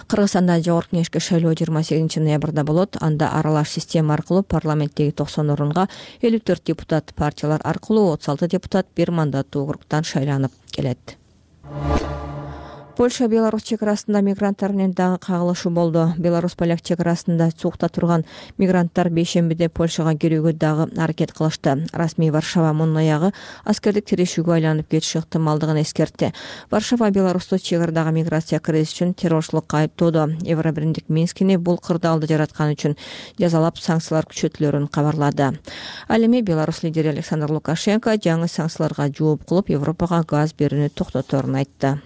Кыргызстанда жогорку кеңешке шайлоо 28 ноябрда болот. Анда аралаш система аркылуу парламенттеги 90 орунга 54 депутат, партиялар аркылуу 36 депутат бир мандаттуу округтан шайланып келет. Польша Беларусь чек арасында мигранттар менен дагы кагылышуу болду. Беларусь-поляк чек арасында сукта турган мигранттар бейшембиде Польшага кирүүгө дагы аракет кылышты. Расмий Варшава мунун аягы аскердик тирешүүгө айланып кетиши ыктымалдыгын эскертти. Варшава Беларусьта чек арадагы миграция кризиси үчүн террорчулукка айыптоодо. Евробиримдик Минскини бул кырдаалды жараткан үчүн жазалап санкциялар күчөтүлөрүн кабарлады. Ал эми Беларусь лидери Александр Лукашенко жаңы санкцияларга жооп кылып, Европага газ берүүнү токтоторун айтты.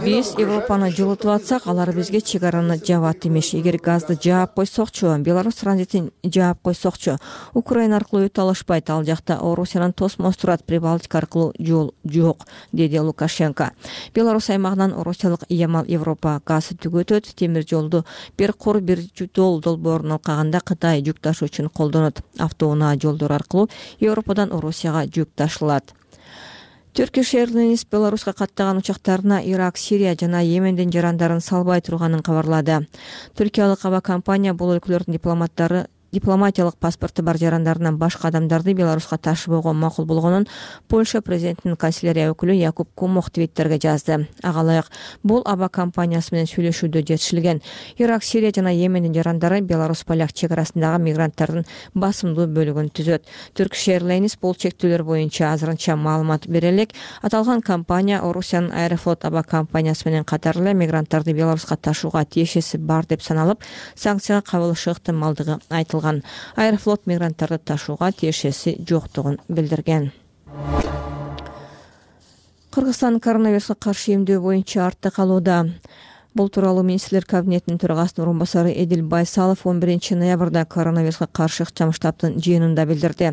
Биз Европаны жылытып атсак, алар бизге чек араны жабат эмеш. Эгер газды жаап койсокчу, Беларусь транзитин жаап койсокчу, Украина аркылуу өтө алышпайт. Ал жакта Орусиянын тосмос турат, Прибалтика аркылуу жол жок, деди Лукашенко. Беларусь аймагынан Орусиялык Ямал Европа газы түгөтөт. Темир жолду бир кур бир жол долбоорун алкаганда Кытай жүк ташуу үчүн колдонот. Автоунаа жолдор аркылуу Европадан Орусияга жүк ташылат. Turkish Airlines Беларуска каттаган учактарына Ирак, Сирия жана Йемендин жарандарын салбай турганын кабарлады. Түркиялык аба компания бул өлкөлөрдүн дипломаттары дипломатиялык паспорту бар жарандарынан башка адамдарды Беларуска ташыбоого макул болгонун Польша президентинин канцелярия өкүлү Якуб Кумох твиттерге жазды. Ага ылайык бул аба компаниясы менен сүйлөшүүдө жетишилген. Ирак, Сирия жана Йемендин жарандары Беларусь-поляк чек арасындагы мигранттардын басымдуу бөлүгүн түзөт. Turkish Airlines бул чектөөлөр боюнча азырынча маалымат бере элек. Аталган компания Орусиянын Аэрофлот аба компаниясы менен катар эле мигранттарды Беларуска ташууга тиешеси бар деп саналып, санкцияга кабылышы ыктымалдыгы айтылган. Аэрофлот мигранттарды ташууга тиешеси жоктугун билдирген. Кыргызстан коронавируска каршы эмдөө боюнча артта калууда. Бул тууралуу министрлер кабинетинин төрагасынын орун басары Эдил Байсалов 11 ноябрда коронавируска каршы ыкчам штабтын жыйынында билдирди.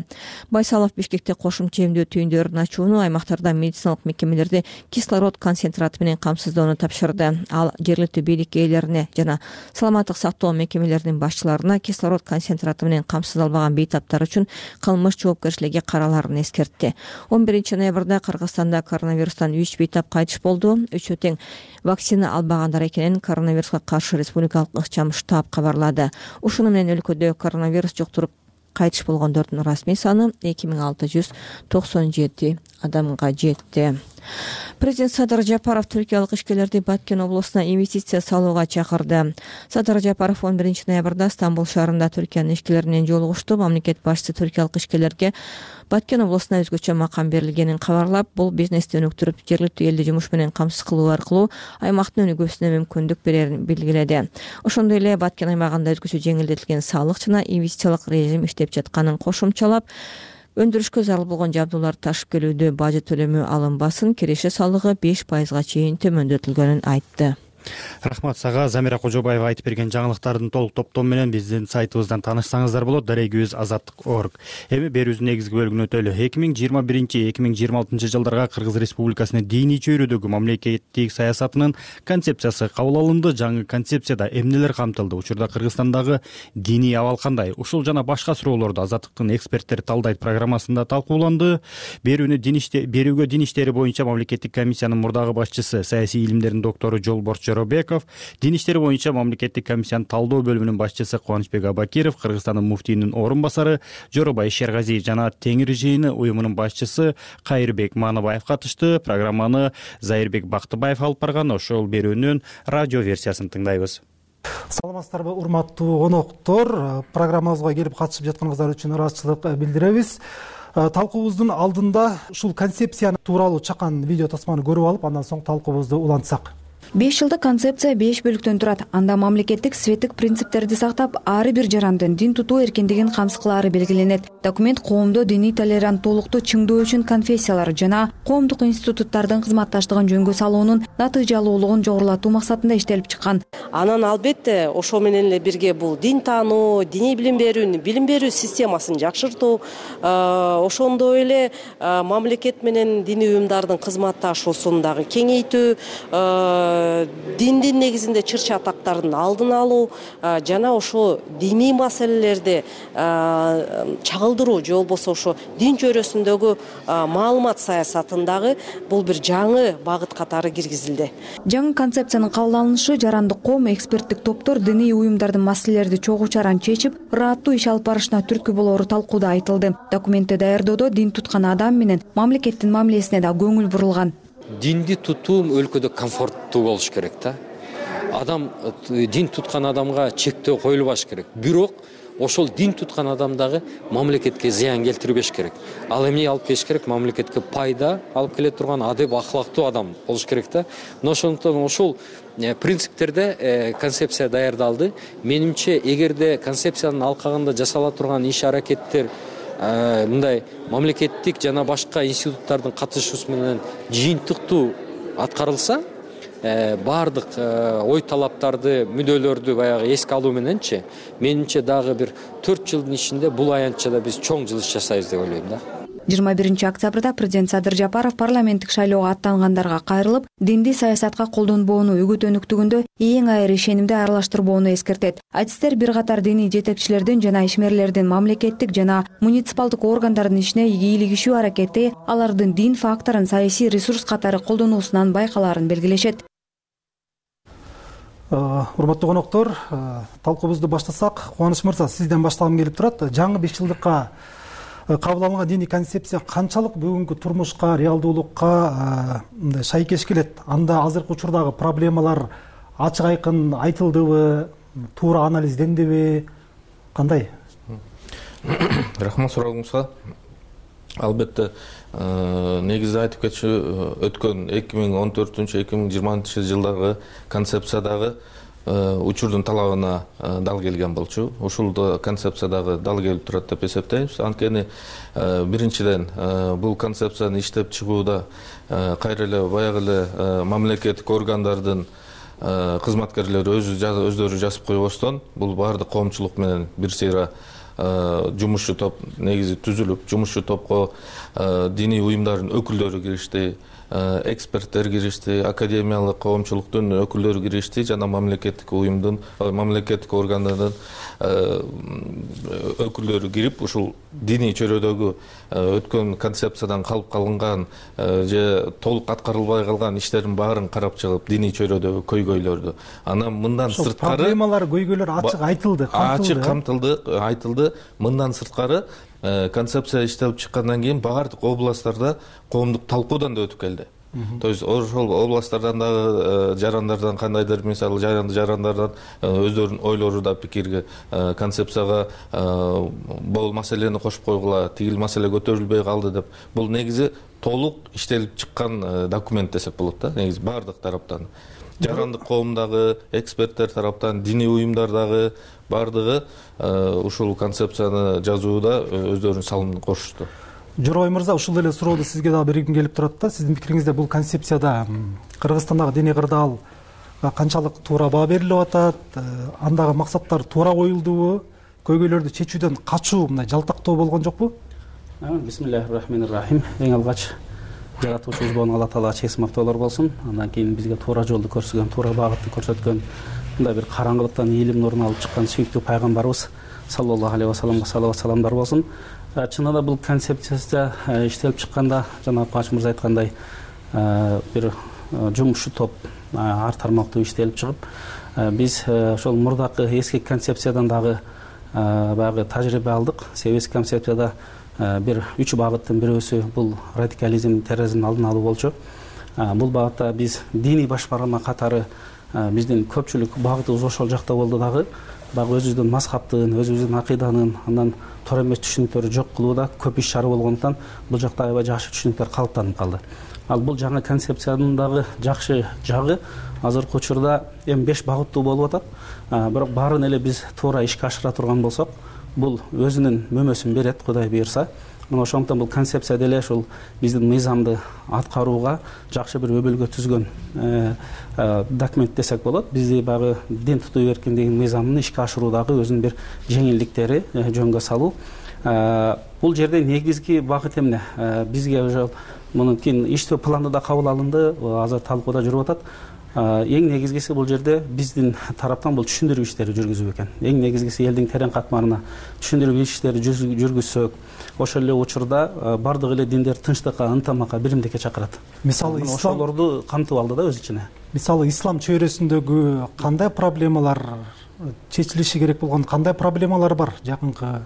Байсалов Бишкекте кошумча эмдөө түйүндөрүн ачууну, аймактарда медициналык мекемелерди кислород концентраты менен камсыздоону тапшырды. Ал жергиликтүү бийлик ээлерине жана саламаттык сактоо мекемелеринин башчыларына кислород концентраты менен камсыздалбаган бейтаптар үчүн кылмыш жоопкерчилиги караларын эскертти. 11 ноябрда Кыргызстанда коронавирустан 3 бейтап кайтыш болду. Үчөө тең вакцина албагандар экенин коронавируска каршы республикалык ыкчам штаб кабарлады. Ушуну менен өлкөдө коронавирус жуктуруп кайтыш болгондордун расмий саны 2697 адамга жетти. Президент Садыр Жапаров түркиялык ишкерлерди Баткен облусуна инвестиция салууга чакырды. Садыр Жапаров 11 ноябрда Стамбул шаарында Түркиянын ишкерлери менен жолугушту. Мамлекет башчысы түркиялык ишкерлерге Баткен облусуна өзгөчө макам берилгенин кабарлап, бул бизнести өнүктүрүп, жергиликтүү элди жумуш менен камсыз кылуу аркылуу аймактын өнүгүүсүнө мүмкүндүк берерин белгиледи. Ошондой эле Баткен аймагында өзгөчө жеңилдетилген салык жана инвестициялык режим иштеп жатканын кошумчалап, өндүрүшкө зарыл болгон жабдууларды ташып келүүдө бажы төлөмү алынбасын, киреше салыгы 5%га чейин төмөндөтүлгөнүн айтты. Рахмат сага. Замира Кожобаева айтып берген жаңылыктардын толук топтому менен биздин сайтыбыздан таанышсаңыздар болот. daraguz.azаттык.org. Эми берүүбүздүн негизги бөлүгүнө өтөлү. 2021-2026 жылдарга Кыргыз Республикасынын диний чөйрөдөгү мамлекеттик саясатынын концепциясы кабыл алынды. Жаңы концепцияда эмнелер камтылды? Учурда Кыргызстандагы диний абал кандай? Ушул жана башка суроолорду Азаттыктын эксперттери талдайт программасында талкууланды. Берүүгө дин иштери боюнча мамлекеттик комиссиянын мурдагы башчысы, саясий илимдердин доктору Жолборчу Жоробеков, дин иштери боюнча мамлекеттик комиссиянын талдоо бөлүмүнүн башчысы Кубанычбек Абакиров, Кыргызстандын муфтийинин орун басары Жоробай Шергазиев жана Теңир жыйыны уюмунун башчысы Кайырбек Маныбаев катышты. Программаны Зайырбек Бактыбаев алып барган. Ошол берүүнүн радио версиясын тыңдайбыз. Саламатсыздарбы, урматтуу коноктор. Программабызга келип катышып жатканыңыздар үчүн ыраазычылык билдиребиз. Талкуубуздун алдында ушул концепцияны тууралуу чакан видео тасманы көрүп алып, андан соң талкуубузду улантсак. 5 жылдык концепция 5 бөлүктөн турат. Анда мамлекеттик светтик принциптерди сактап, ар бир жарандын дин тутуу эркиндигин камсыз кылаары белгиленет. Документ коомдо диний толеранттуулукту чыңдоо үчүн конфессиялар жана коомдук институттардын кызматташтыгын жөнгө салуунун натыйжалуулугун жогорулатуу максатында иштелип чыккан. Анан албетте ошо менен эле бирге бул дин таануу, диний билим берүү системасын жакшыртуу, ошондой эле мамлекет менен диний уюмдардын кызматташуусун дагы кеңейтүү, диндин негизинде чырчы атактардын алдын алуу жана ошо диний маселелерди чагылдыруу же болбосо ошо дин чөйрөсүндөгү маалымат саясатындагы бул бир жаңы багыт катары киргизилди. Жаңы концепциянын кабыл алынышы жарандык коом, эксперттик топтор диний уюмдардын маселелерди чогуу чаран чечип, ырааттуу иш алып барышына түрткү болоору талкууда айтылды. Документти даярдоодо дин туткан адам менен мамлекеттин мамилесине да көңүл бурулган. Динди тутуу өлкөдө комфорттуу болуш керек да. Адам дин туткан адамга чектөө коюлбаш керек. Бирок ошол дин туткан адам дагы мамлекетке зыян келтирбеш керек. Ал эмне алып келиш керек? Мамлекетке пайда алып келе турган адеп ахлактуу адам болуш керек да. Ошондон ошол принциптерде концепция даярдалды. Менимче, эгерде концепциянын алкагында жасала турган иш аракеттер мындай мамлекеттик жана башка институттардын катышуусу менен жыйынтыктуу аткарылса, баардык ой талаптарды, мүдөлөрдү баягы эске алуу мененчи, менимче дагы бир 4 жылдын ичинде бул аянтчада биз чоң жылыш жасайбыз деп ойлойм да. 21 октябрда президент Садыр Жапаров парламенттик шайлоого аттангандарга кайрылып, динди саясатка колдонбоону үгүтөнүктүгүндө эң айыр ишенимди аралаштырбоону эскертет. Айтыстер бир катар диний жетекчилердин жана ишмерлердин мамлекеттик жана муниципалдык органдардын ишине ийгилигишүү аракети алардын дин факторун саясий ресурс катары колдонуусунан байкалаарын белгилешет. Урматтуу коноктор, талкуубузду баштасак. Кубаныч мырза, сизден баштагым келип турат. Жаңы 5 жылдыкка кабыл алынган диний концепция канчалык бүгүнкү турмушка, реалдуулукка мындай шайкеш келет? Анда азыркы учурдагы проблемалар ачык айкын айтылдыбы, туура анализдендиби, кандай? Рахмат суроогуңузга. Албетте, негизи айтып кетчү, өткөн 2014-2020 жылдагы концепциядагы учурдун талабына дал келген болчу. Ушул концепциядагы дал келип турат деп эсептейбиз. Анткени биринчиден бул концепцияны иштеп чыгууда кайра эле баягы эле мамлекеттик органдардын кызматкерлери өздөрү жазып койбостон, бул баардык коомчулук менен бир сыйра жумушчу топ негизи түзүлүп, жумушчу топко диний уюмдардын өкүлдөрү киришти, эксперттер киришти, академиялык коомчулуктун өкүлдөрү киришти жана мамлекеттик уюмдун, мамлекеттик органдардын өкүлдөрү кирип, ушул диний чөйрөдөгү өткөн концепциядан калып калган же толук аткарылбай калган иштердин баарын карап чыгып, диний чөйрөдөгү көйгөйлөрдү. Анан мындан сырткары проблемалар, көйгөйлөр ачык айтылды, ачык камтылды, айтылды. Мындан сырткары концепция иштелип чыккандан кийин баардык областтарда коомдук талкуудан да өтүп келди. То есть ошол областтардан дагы жарандардан кандайдыр, мисалы жарандардан өздөрүнүн ойлору да пикирге концепцияга бул маселени кошуп койгула, тигил маселе көтөрүлбөй калды деп. Бул негизи толук иштелип чыккан документ десек болот да, негизи баардык тараптан. Жарандык коомдагы, эксперттер тараптан, диний уюмдардагы баардыгы ушул концепцияны жазууда өздөрүнүн салымын кошушту. Жорой мырза, ушул эле суроодо сизге дагы бергим келип турат да. Сиздин пикириңизде бул концепцияда Кыргызстандагы диний кырдаалга канчалык туура баа берилип атат? Андагы максаттар туура коюлдубу? Көйгөйлөрдү чечүүдөн качуу, мындай жалтактоо болгон жокпу? Бисмиллахир-рахманир-рахим. Эң алгач жаратуучубуз болгон Алла Таалага чексиз мактоолор болсун. Андан кийин бизге туура жолду көрсөткөн, туура багытты көрсөткөн, мындай бир караңгылыктан ийилим нурун алып чыккан сүйүктүү пайгамбарыбыз саллаллаху алейхи вассаламга салават саламдар болсун. Чынында бул концепцияда иштелип чыкканда, жана Кубаныч мырза айткандай, бир жумушчу топ ар тармактуу иштелип чыгып, биз ошол мурдакы эски концепциядан дагы баягы тажрыйба алдык. Эски концепцияда бир 3 багыттын бирөөсү бул радикализм, терроризмдин алдын алуу болчу. Бул багытта биз диний баш баргама катары биздин көпчүлүк багытыбыз ошол жакта болду дагы. Баягы өзүбүздүн мазхабтын, өзүбүздүн акыйданын, андан туура эмес түшүнүктөрдү жок кылууда көп иш чара болгондуктан бул жакта аябай жакшы түшүнүктөр калыптанып калды. Ал бул жаңы концепциянын дагы жакшы жагы азыркы учурда эми 5 багыттуу болуп атат. Бирок баарын эле биз туура ишке ашыра турган болсок, бул өзүнүн мөмөсүн берет, Кудай буйрса. Мына ошондуктан бул концепция деле ушул биздин мыйзамды аткарууга жакшы бир өбөлгө түзгөн документ десек болот. Бизди баягы дин тутуу эркиндигинин мыйзамын ишке ашыруудагы өзүнүн бир жеңилдиктери жөнгө салуу. Бул жерде негизги багыт эмне? Бизге ошол мунун кийин иштөө планы да кабыл алынды, азыр талкууда жүрүп атат. Эң негизгиси бул жерде биздин тараптан бул түшүндүрүү иштери жүргүзүү экен. Эң негизгиси элдин терең катмарына түшүндүрүү иштери жүргүзсөк, ошол эле учурда бардык эле диндер тынчтыкка, ынтымакка, биримдикке чакырат. Мисалы ошолорду камтып алды да өз ичине. Мисалы ислам чөйрөсүндөгү кандай проблемалар чечилиши керек болгон, кандай проблемалар бар жакынкы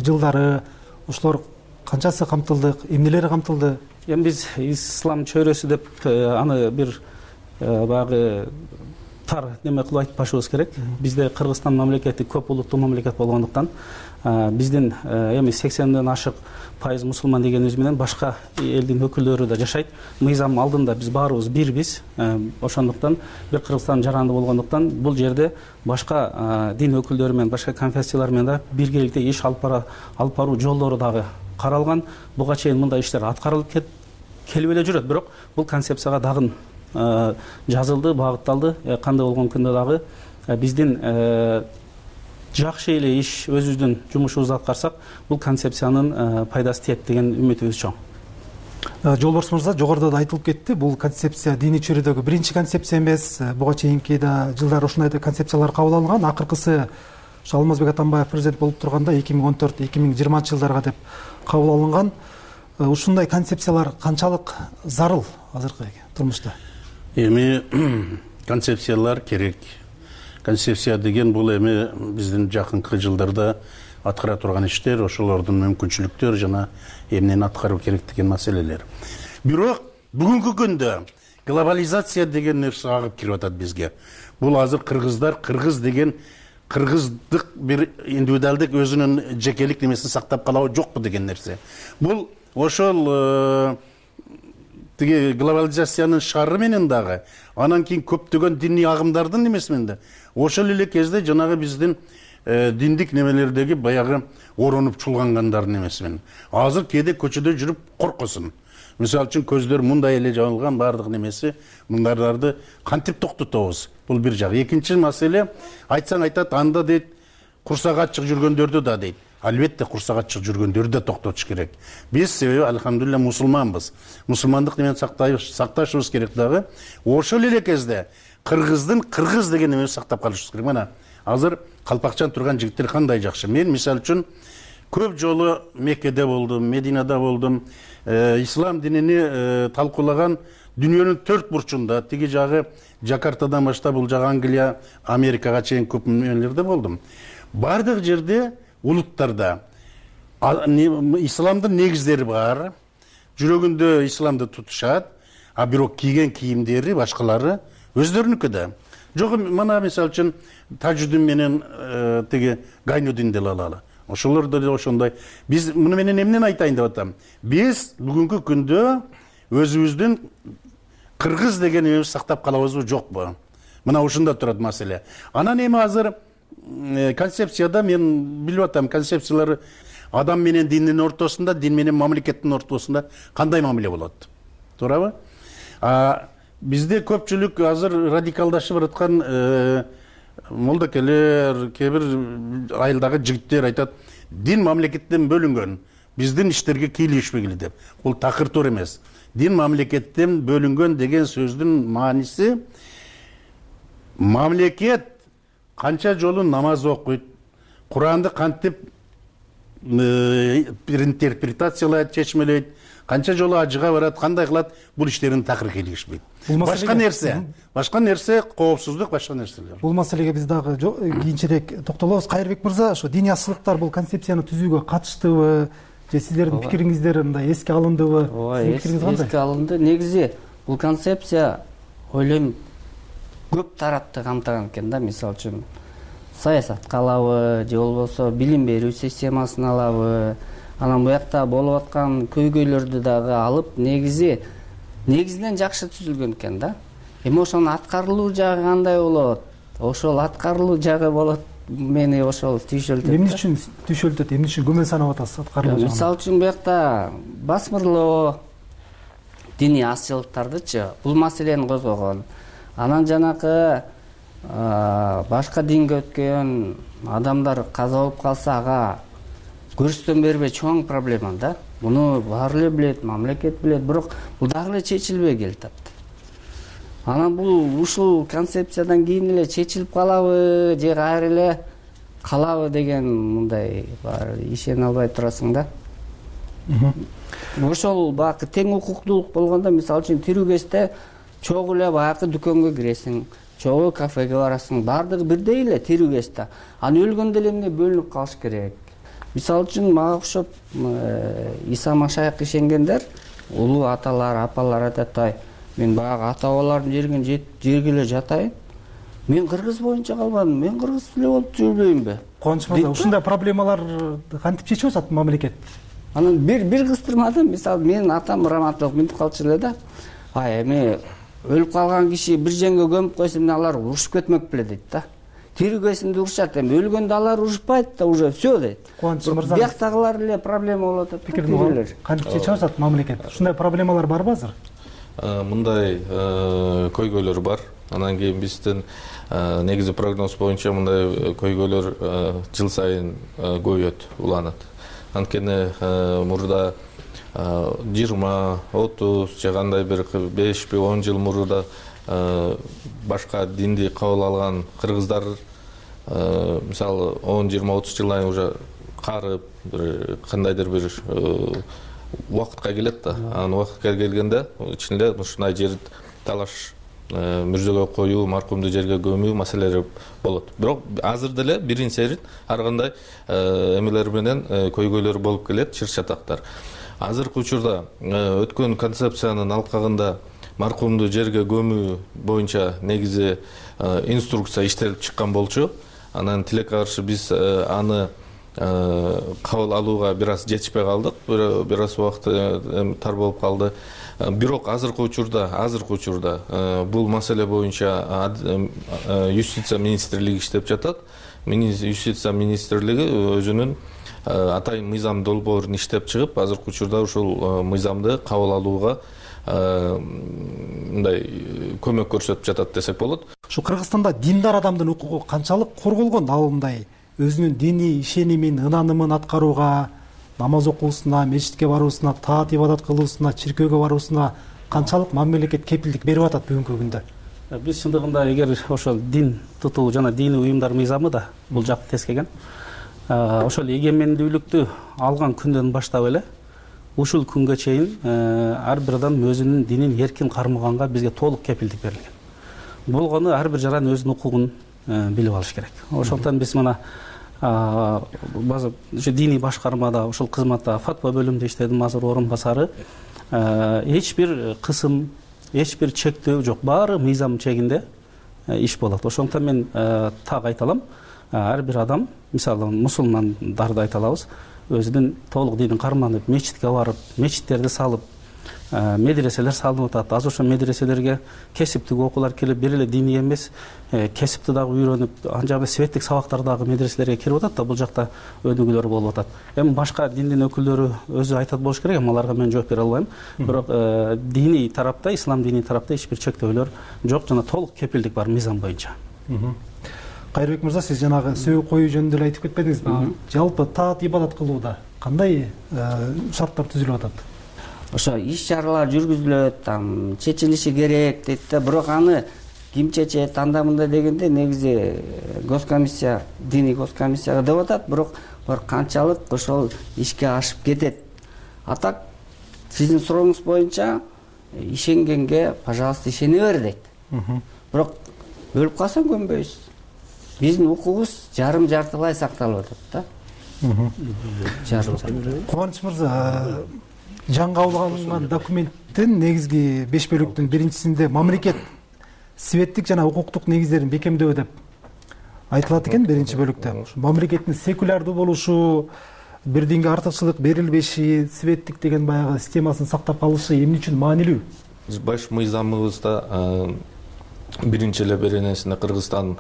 жылдары? Ошолор канчасы камтылды, эмнелери камтылды? Эми биз ислам чөйрөсү деп аны бир баягы тар неме кылып айтпашыбыз керек. Бизде Кыргызстан мамлекети көп улуттуу мамлекет болгондуктан биздин эми 80ден ашык пайыз мусулман дегенибиз менен башка элдин өкүлдөрү да жашайт. Мыйзам алдында биз баарыбыз бирбиз. Ошондуктан бир Кыргызстан жаранды болгондуктан бул жерде башка дин өкүлдөрү менен, башка конфессиялар менен да биргеликте иш алып баруу жолдору дагы каралган. Буга чейин мындай иштер аткарылып келип эле жүрөт, бирок бул концепцияга дагы жазылды, багытталды. Кандай болгон күндө дагы биздин жакшы эле иш, өзүбүздүн жумушубузду аткарсак, бул концепциянын пайдасы тиет деген үмүтүбүз чоң. Жолборс мырза, жогоруда да айтылып кетти, бул концепция диний чөйрөдөгү биринчи концепция эмес. Буга чейинки да жылдары ушундай концепциялар кабыл алынган. Акыркысы Алмазбек Атамбаев президент болуп турганда 2014-2020 жылдарга деп кабыл алынган. Ушундай концепциялар канчалык зарыл азыркы турмушта? Эми концепциялар керек. концепция деген бул эми биздин жакынкы жылдарда аткара турган иштер, ошолордун мүмкүнчүлүктөрү жана эмнени аткаруу керек деген маселелер. Бирок бүгүнкү күндө глобализация деген нерсе агып кирип атат бизге. Бул азыр кыргыз деген кыргыздык бир индивидуалдык өзүнүн жекелик немесин сактап калабы жокпу деген нерсе. Бул ошол тиги глобализациянын шары менен дагы, анан кийин көптөгөн диний агымдардын немеси менен да ошол эле кезде жанагы биздин диндик немелердеги баягы оронуп чулгангандардын немеси менен азыр кээде көчөдө жүрүп коркосун. Мисалы үчүн көздөр мындай эле жабылган баардык немеси, мындайларды кантип токтотобуз? Бул бир жак. Экинчи маселе, айтсаң айтат, анда дейт, курсак ачык жүргөндөрдү да дейт. Албетте курсак ачык жүргөндөрдү да токтотуш керек. Биз себеби алхамдулилля мусулманбыз. Мусулмандык менен сакташыбыз керек дагы. Ошол эле кезде кыргыздын кыргыз деген эмесин сактап калышыбыз керек. Мына азыр калпакчан турган жигиттер кандай жакшы. Мен мисалы үчүн көп жолу Меккеде болдум, Мединада болдум. Ислам динини талкуулаган дүйнөнүн төрт бурчунда, тиги жагы Жакартадан баштап бул жагы Англия, Америкага чейин көп мемлекеттерде болдум. Бардык жерде улуттарда исламдын негиздери бар, жүрөгүндө исламды тутушат, а бирок кийген кийимдери башкалары өздөрүнүкү да. Жок, мына мисалы үчүн тажудин менен тиги гайнудин деле алалы. Ошолордо да ошондой. Биз муну менен эмнени айтайын деп атам? Биз бүгүнкү күндө өзүбүздүн кыргыз деген эмебизди сактап калабызбы жокпу? Мына ушунда турат маселе. Анан эми азыр концепцияда мен билип атам, концепциялары адам менен диндин ортосунда, дин менен мамлекеттин ортосунда кандай мамиле болот? Туурабы? Бизде көпчүлүк азыр радикалдашып бараткан молдокелер, кээ-бир айылдагы жигиттер айтат, дин мамлекеттен бөлүнгөн, биздин иштерге кийлигишпегиле деп. Бул такыр туура эмес. Дин мамлекеттен бөлүнгөн деген сөздүн мааниси мамлекет канча жолу намаз окуйт, Куранды кантип бир интерпретациялайт, чечмелейт, канча жолу ажыга барат, кандай кылат, бул иштерин такыр кийлигишпейт. Башка нерсе коопсуздук, башка нерселер. Бул маселеге биз дагы кийинчерээк токтолобуз. Кайырбек мырза, ошо диний асылыктар бул концепцияны түзүүгө катыштыбы же сиздердин пикириңиздер мындай эске алындыбы? Эске алынды. Негизи бул концепция ойлойм көп тарапты камтыган экен да. Мисалы үчүн саясатка алабы же болбосо билим берүү системасын алабы, анан буякта болуп аткан көйгөйлөрдү дагы алып негизинен жакшы түзүлгөн экен да. Эми ошонун аткарылуу жагы кандай болот? Ошол аткарылуу жагы болот. Мени ошол түйшөлтөт. Эмне үчүн түйшөлтөт? Эмне үчүн күмөн санап атасыз аткарылуу жагы? Мисалы үчүн буякта басмырлоо диний азчылыктардычы бул маселени козгогон. Анан жанакы башка динге өткөн адамдар каза болуп калса ага көрсөтөн бербей чоң проблема да. Муну баары эле билет, мамлекет билет, бирок бул дагы эле чечилбей келатат. Анан бул ушул концепциядан кийин эле чечилип калабы же кайра эле калабы деген мындай баары ишене албай турасың да. Ошол баягы тең укуктуулук болгондо, мисалы үчүн тирүү кезде чогуу эле баягы дүкөнгө киресиң, чогуу кафеге барасың, баардыгы бирдей эле тирүү кезде. Анан өлгөндө эле эмне бөлүнүп калыш керек? Мисалы үчүн мага окшоп Иса Машаяк ишенгендер, улуу аталар, апалар айтат, мен баягы ата-бабалардын жерге эле жатайын. Мен кыргыз боюнча калбадым, мен кыргыз эле болуп жүрбөйүнбү? Кубаныч мырза, ушундай проблемалар кантип чечип атат мамлекет? Анан бир кыстырмада, мисалы менин атам раматтылык минтип калчу эле да. Эми өлүп калган киши бир жерге көмүп койсо, эмне алар урушуп кетмек беле дейт да. Тирүүгөсүндө урушат, эми өлгөндө алар урушпайт да, уже всё дейт. Кубаныч мырза, бияктагылар эле проблема болуп атат. Пикирин кантип чечип атат мамлекет? Ушундай проблемалар барбы азыр? Мындай көйгөйлөр бар. Анан кийин биздин негизи прогноз боюнча мындай көйгөйлөр жыл сайын көбөйөт, уланат. Анткени мурда 20, 30 же кандай бир 5-10 жыл мурда башка динди кабыл алган кыргыздар мисалы 10-20-30 жылдан уже карып кандайдыр бир убакытка келет да. Анан убакытка келгенде ичинде ушундай жер талаш мүрзөгө коюу, маркумду жерге көмүү маселелери болот. Бирок азыр деле бирин серин ар кандай эмелер менен көйгөйлөр болуп келет, чыр чатактар. Азыркы учурда өткөн концепциянын алкагында маркумду жерге көмүү боюнча негизи инструкция иштелип чыккан болчу. Анан тилекке каршы биз аны кабыл алууга бир аз жетишпей калдык. Бир аз убакыт тар болуп калды. Бирок азыркы учурда бул маселе боюнча юстиция министрлиги иштеп жатат. Юстиция министрлиги өзүнүн атайын мыйзам долбоорун иштеп чыгып, азыркы учурда ушул мыйзамды кабыл алууга мындай көмөк көрсөтүп жатат десек болот. Ушу Кыргызстанда диндар адамдын укугу канчалык корголгон? Ал мындай өзүнүн диний ишенимин, ынанымын аткарууга, намаз окуусуна, мечитке баруусуна, таат ибадат кылуусуна, чиркөөгө баруусуна канчалык мамлекет кепилдик берип атат бүгүнкү күндө? Биз чындыгында эгер ошол дин тутуу жана диний уюмдар мыйзамы да бул жакты тескеген. Ошол эгемендүүлүктү алган күндөн баштап эле ушул күнгө чейин ар бир адам өзүнүн динин эркин кармаганга бизге толук кепилдик берилген. Болгону ар бир жаран өзүнүн укугун билип алыш керек. Ошондон биз мына база ушу диний башкармада ушул кызматта фатва бөлүмүндө иштедим, азыр орун басары. Эч бир кысым, эч бир чектөө жок, баары мыйзам чегинде иш болот. Ошондон мен так айта алам, ар бир адам, мисалы мусулмандарды айта алабыз, өзүнүн толук динин карманып, мечитке барып, мечиттерди салып, медреселер салынып атат. Азыр ошо медреселерге кесиптик окуулар келип, бир эле диний эмес, кесипти дагы үйрөнүп, анжагы светтик сабактар дагы медреселерге кирип атат да, бул жакта өнүгүүлөр болуп атат. Эми башка диндин өкүлдөрү өзү айтат болуш керек, аларга мен жооп бере албайм. Бирок диний тарапта, ислам диний тарапта эч бир чектөөлөр жок, жана толук кепилдик бар мыйзам боюнча. Кайрыбек мырза, сиз жанагы сөөгү коюу жөнүндө эле айтып кетпедиңизби? Жалпы таат ибадат кылууда кандай шарттар түзүлүп атат? Ошо иш чаралар жүргүзүлөт, чечилиши керек дейт да, бирок аны ким чечет, анда мында дегенде негизи госкомиссия, диний госкомиссияга деп атат, бирок канчалык ошол ишке ашып кетет. А так сиздин сурооңуз боюнча ишенгенге, пожалуйста, ишене бер дейт. Бирок өлүп калсаң көнбөйсүз. Биздин укугубуз жарым-жартылай сакталып атат да. Кубаныч мырза, жаңы кабыл алынган документтин негизги 5 бөлүктүн биринчисинде мамлекет светтик жана укуктук негиздерин бекемдөө деп айтылат экен. Биринчи бөлүктө мамлекеттин секулярдуу болушу, бир динге артыкчылык берилбеши, светтик деген баягы системасын сактап калышы эмне үчүн маанилүү? Баш мыйзамыбызда биринчи эле беренесинде Кыргызстан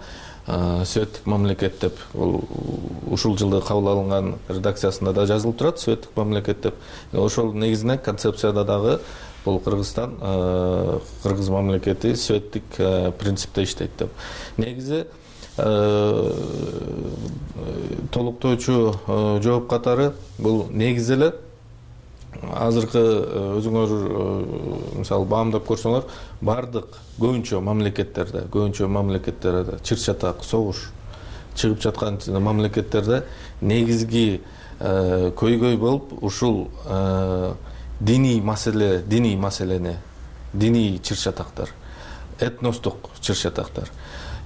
светтик мамлекет деп, ушул жылы кабыл алынган редакциясында да жазылып турат, светтик мамлекет деп. Ошол негизинен концепцияда дагы бул Кыргызстан, кыргыз мамлекети светтик принципте иштейт деп. Негизи толуктоочу жооп катары бул негизи эле азыркы өзүңөр мисалы баамдап көрсөңөр, бардык көбүнчө мамлекеттерде чыр чатак, согуш чыгып жаткан мамлекеттерде негизги көйгөй болуп ушул диний маселени, диний чыр чатактар, этностук чыр чатактар.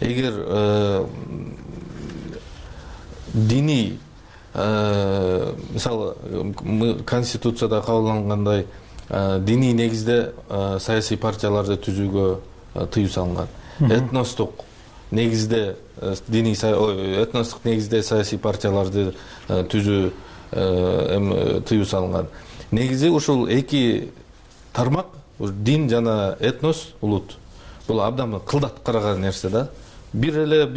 Эгер диний мисалы конституцияда кабылдангандай диний негизде саясий партияларды түзүүгө тыюу салынган. Этностук негизде саясий партияларды түзүү тыюу салынган. Негизи ушул эки тармак, дин жана этнос, улут, бул абдан кылдат караган нерсе да. Бир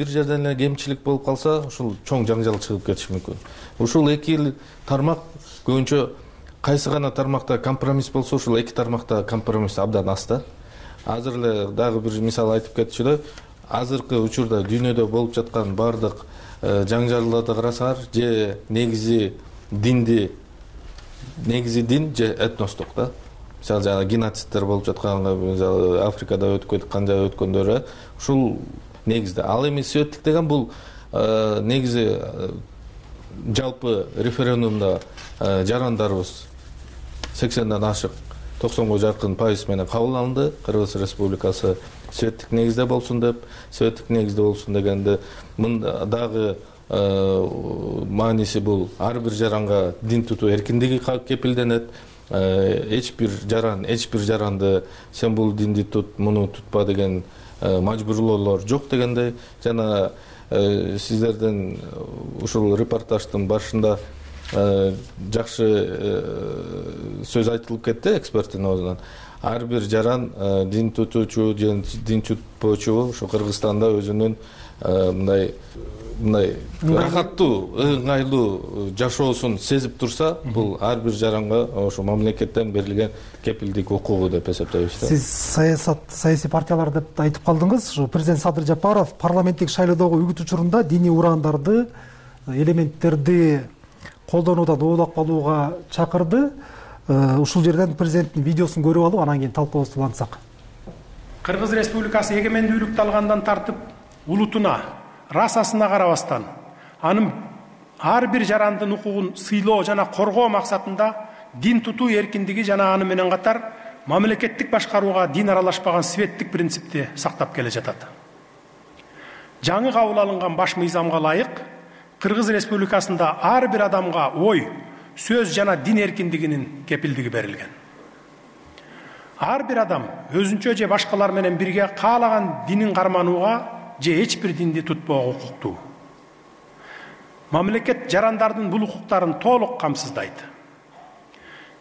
жерден эле кемчилик болуп калса, ушул чоң жаңжал чыгып кетиши мүмкүн. Ушул эки тармак көбүнчө кайсы гана тармакта компромисс болсо, ушул эки тармакта компромисс абдан аз да. Азыр эле дагы бир мисал айтып кетчү, азыркы учурда дүйнөдө болуп жаткан бардык жаңжалдарды карасаңар, же негизи дин же этностук да. Мисалы жана геноцидтер болуп жатканга, мисалы Африкада өткөндөрү ушул негизде. Ал эми светтик деген бул негизи жалпы референдумда жарандарыбыз 80ден ашык 90 жакын пайыз менен кабыл алынды. Кыргыз Республикасы светтик негизде болсун деп, светтик негизде болсун дегенде мында дагы мааниси бул ар бир жаранга дин тутуу эркиндиги кепилденет. Эч бир жаранды сен бул динди тут, муну тутпа деген мажбурлоолор жок дегендей. Жана сиздердин ушул репортаждын башында жакшы сөз айтылып кетти эксперттин оозунан. Ар бир жаран дин тутуучу же дин тутпоочу ушу Кыргызстанда өзүнүн мындай рахаттуу, ыңгайлуу жашоосун сезип турса, бул ар бир жаранга ошо мамлекеттен берилген кепилдик укугу деп эсептейбиз. Сиз саясий партиялар деп айтып калдыңыз. Ушу президент Садыр Жапаров парламенттик шайлоодогу үгүт учурунда диний урандарды, элементтерди колдонуудан оолак болууга чакырды. Ушул жерден президенттин видеосун көрүп алып, анан кийин талкуубузду улантсак. Кыргыз Республикасы эгемендүүлүктү алгандан тартып улутуна, расасына карабастан, анын ар бир жарандын укугун сыйлоо жана коргоо максатында дин тутуу эркиндиги жана аны менен катар мамлекеттик башкарууга дин аралашпаган светтик принципти сактап келе жатат. Жаңы кабыл алынган баш мыйзамга ылайык Кыргыз Республикасында ар бир адамга ой, сөз жана дин эркиндигинин кепилдиги берилген. Ар бир адам өзүнчө же башкалар менен бирге каалаган динин карманууга же эч бир динди тутпоого укуктуу. Мамлекет жарандардын бул укуктарын толук камсыздайт.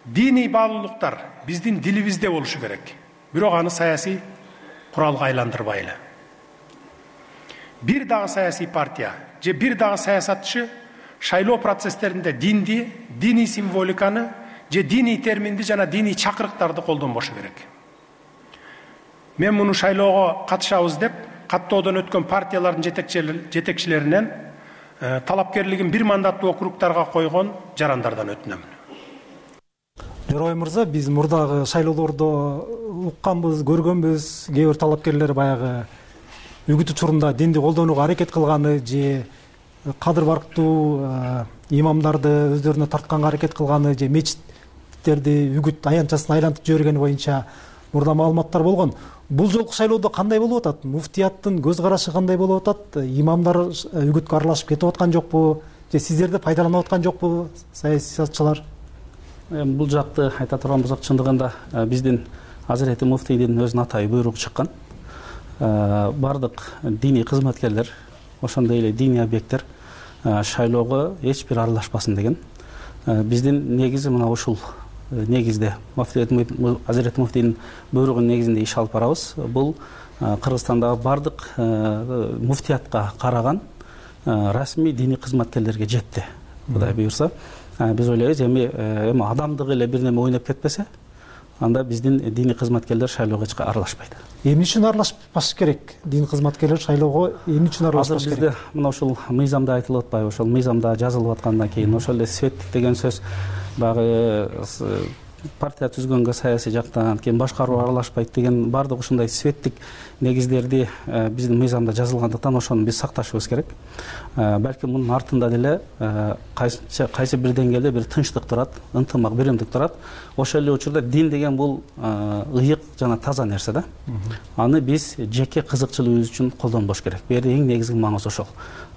Диний баалуулуктар биздин дилибизде болушу керек. Бирок аны саясий куралга айландырбайлы. Бир дагы саясий партия же бир дагы саясатчы шайлоо процесстеринде динди, диний символиканы же диний терминди жана диний чакырыктарды колдонбошу керек. Мен муну шайлоого катышабыз деп каттоодон өткөн партиялардын жетекчилеринен талапкерлигин бир мандаттуу округдарга койгон жарандардан өтүнөм. Жорой мырза, биз мурдагы шайлоолордо укканбыз, көргөнбүз, кээ бир талапкерлер баягы үгүт учурунда динди колдонууга аракет кылганы же кадыр барктуу имамдарды өздөрүнө тартканга аракет кылганы же мечиттерди үгүт аянтчасын айлантып жибергени боюнча мурда маалыматтар болгон. Бул жолку шайлоодо кандай болуп атат? Муфтияттын көз карашы кандай болуп атат? Имамдар үгүткө аралашып кетип аткан жокпу? Же сиздерди пайдаланып аткан жокпу саясатчылар? Бул жакты айта турган болсок, чындыгында биздин Азирети муфтийдин өзүнүн атайын буйругу чыккан. Бардык диний кызматкерлер, ошондой эле диний объекттер шайлоого эч бир аралашпасын деген. Биздин негизи мына ушул негизде Азирети муфтийдин буйругунун негизинде иш алып барабыз. Бул Кыргызстандагы бардык муфтиятка караган расмий диний кызматкерлерге жетти. Кудай буйрса, биз ойлойбуз эми адамдык эле бир неме ойноп кетпесе, анда биздин диний кызматкерлер шайлоого эч аралашпайт. Эмне үчүн аралашпаш керек? Дин кызматкерлер шайлоого эмне үчүн аралашпаш керек? Бизде мына ушул мыйзамда айтылып атпайбы? Ошол мыйзамда жазылып аткандан кийин ошол эле светтик деген сөз баягы партия түзгөнгө саясий жактан, кийин башкаруу аралашпайт деген бардык ушундай светтик негиздерди биздин мыйзамда жазылгандыктан ошону биз сакташыбыз керек. Балким мунун артында деле кайсы бир деңгээлде бир тынчтык турат, ынтымак, биримдик турат. Ошол эле учурда дин деген бул ыйык жана таза нерсе да. Аны биз жеке кызыкчылыгыбыз үчүн колдонбош керек. Бул жерде эң негизги маңызы ошол.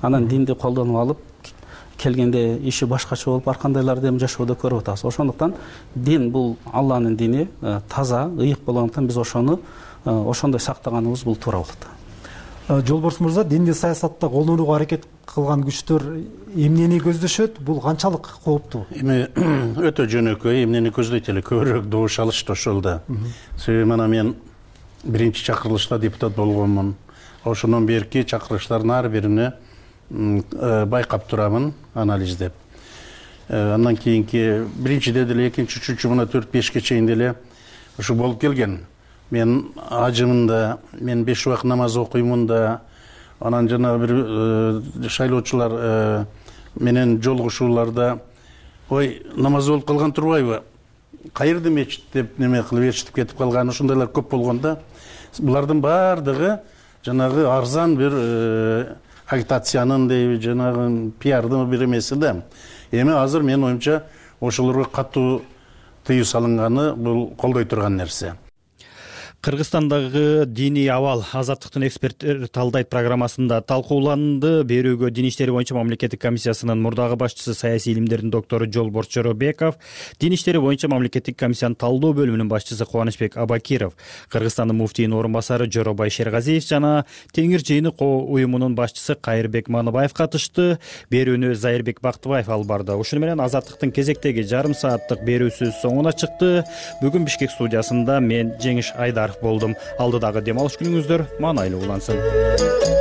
Анан динди колдонуп алып келгенде иши башкача болуп ар кандайларды эми жашоодо көрүп атабыз. Ошондуктан дин бул Алланын дини, таза, ыйык болгондуктан биз ошону ошондой сактаганыбыз бул туура болот. Жолборс мырза, динди саясатта колдонууга аракет кылган күчтөр эмнени көздөшөт? Бул канчалык кооптуу? Эми өтө жөнөкөй, эмнени көздөйт эле, көбүрөөк добуш алышты ошолда. Себеби мына мен биринчи чакырылышта депутат болгонмун. Ошондон берки чакырылыштардын ар бирине байкап турамын, анализдеп. Андан кийинки биринчиде деле, экинчи, үчүнчү, мына 4-5ке чейин деле ушу болуп келген. Мен ажымын да, мен 5 убакыт намаз окуймун да, анан жана бир шайлоочулар менен жолугушууларда ой, намаз болуп калган турбайбы? Кайерде мечит деп неме кылып ээрчитип кетип калган, ошондойлор көп болгон да. Булардын баардыгы жанагы арзан бир агитациянын дейби, жанагы пиардын бир эмеси да. Эми азыр менин оюмча ошолорго катуу тыюу салынганы бул колдой турган нерсе. Кыргызстандагы диний абал азаттыктын эксперттер талдайт программасында талкууланды. Берүүгө Дин иштери боюнча мамлекеттик комиссиясынын мурдагы башчысы, саясий илимдердин доктору Жолборс Жоробеков, Дин иштери боюнча мамлекеттик комиссиянын талдоо бөлүмүнүн башчысы Кубанычбек Абакиров, Кыргызстандын муфтийинин орун басары Жоробай Шергазиев жана Теңир жыйыны уюмунун башчысы Кайырбек Маныбаев катышты. Берүүнү Зайырбек Бактыбаев алып барды. Ушуну менен азаттыктын кезектеги жарым сааттык берүүсү соңуна чыкты. Бүгүн Бишкек студиясында мен Жеңиш Айдаров болдум. Алдыдагы дем алыш күнүңүздөр маанайлуу улансын.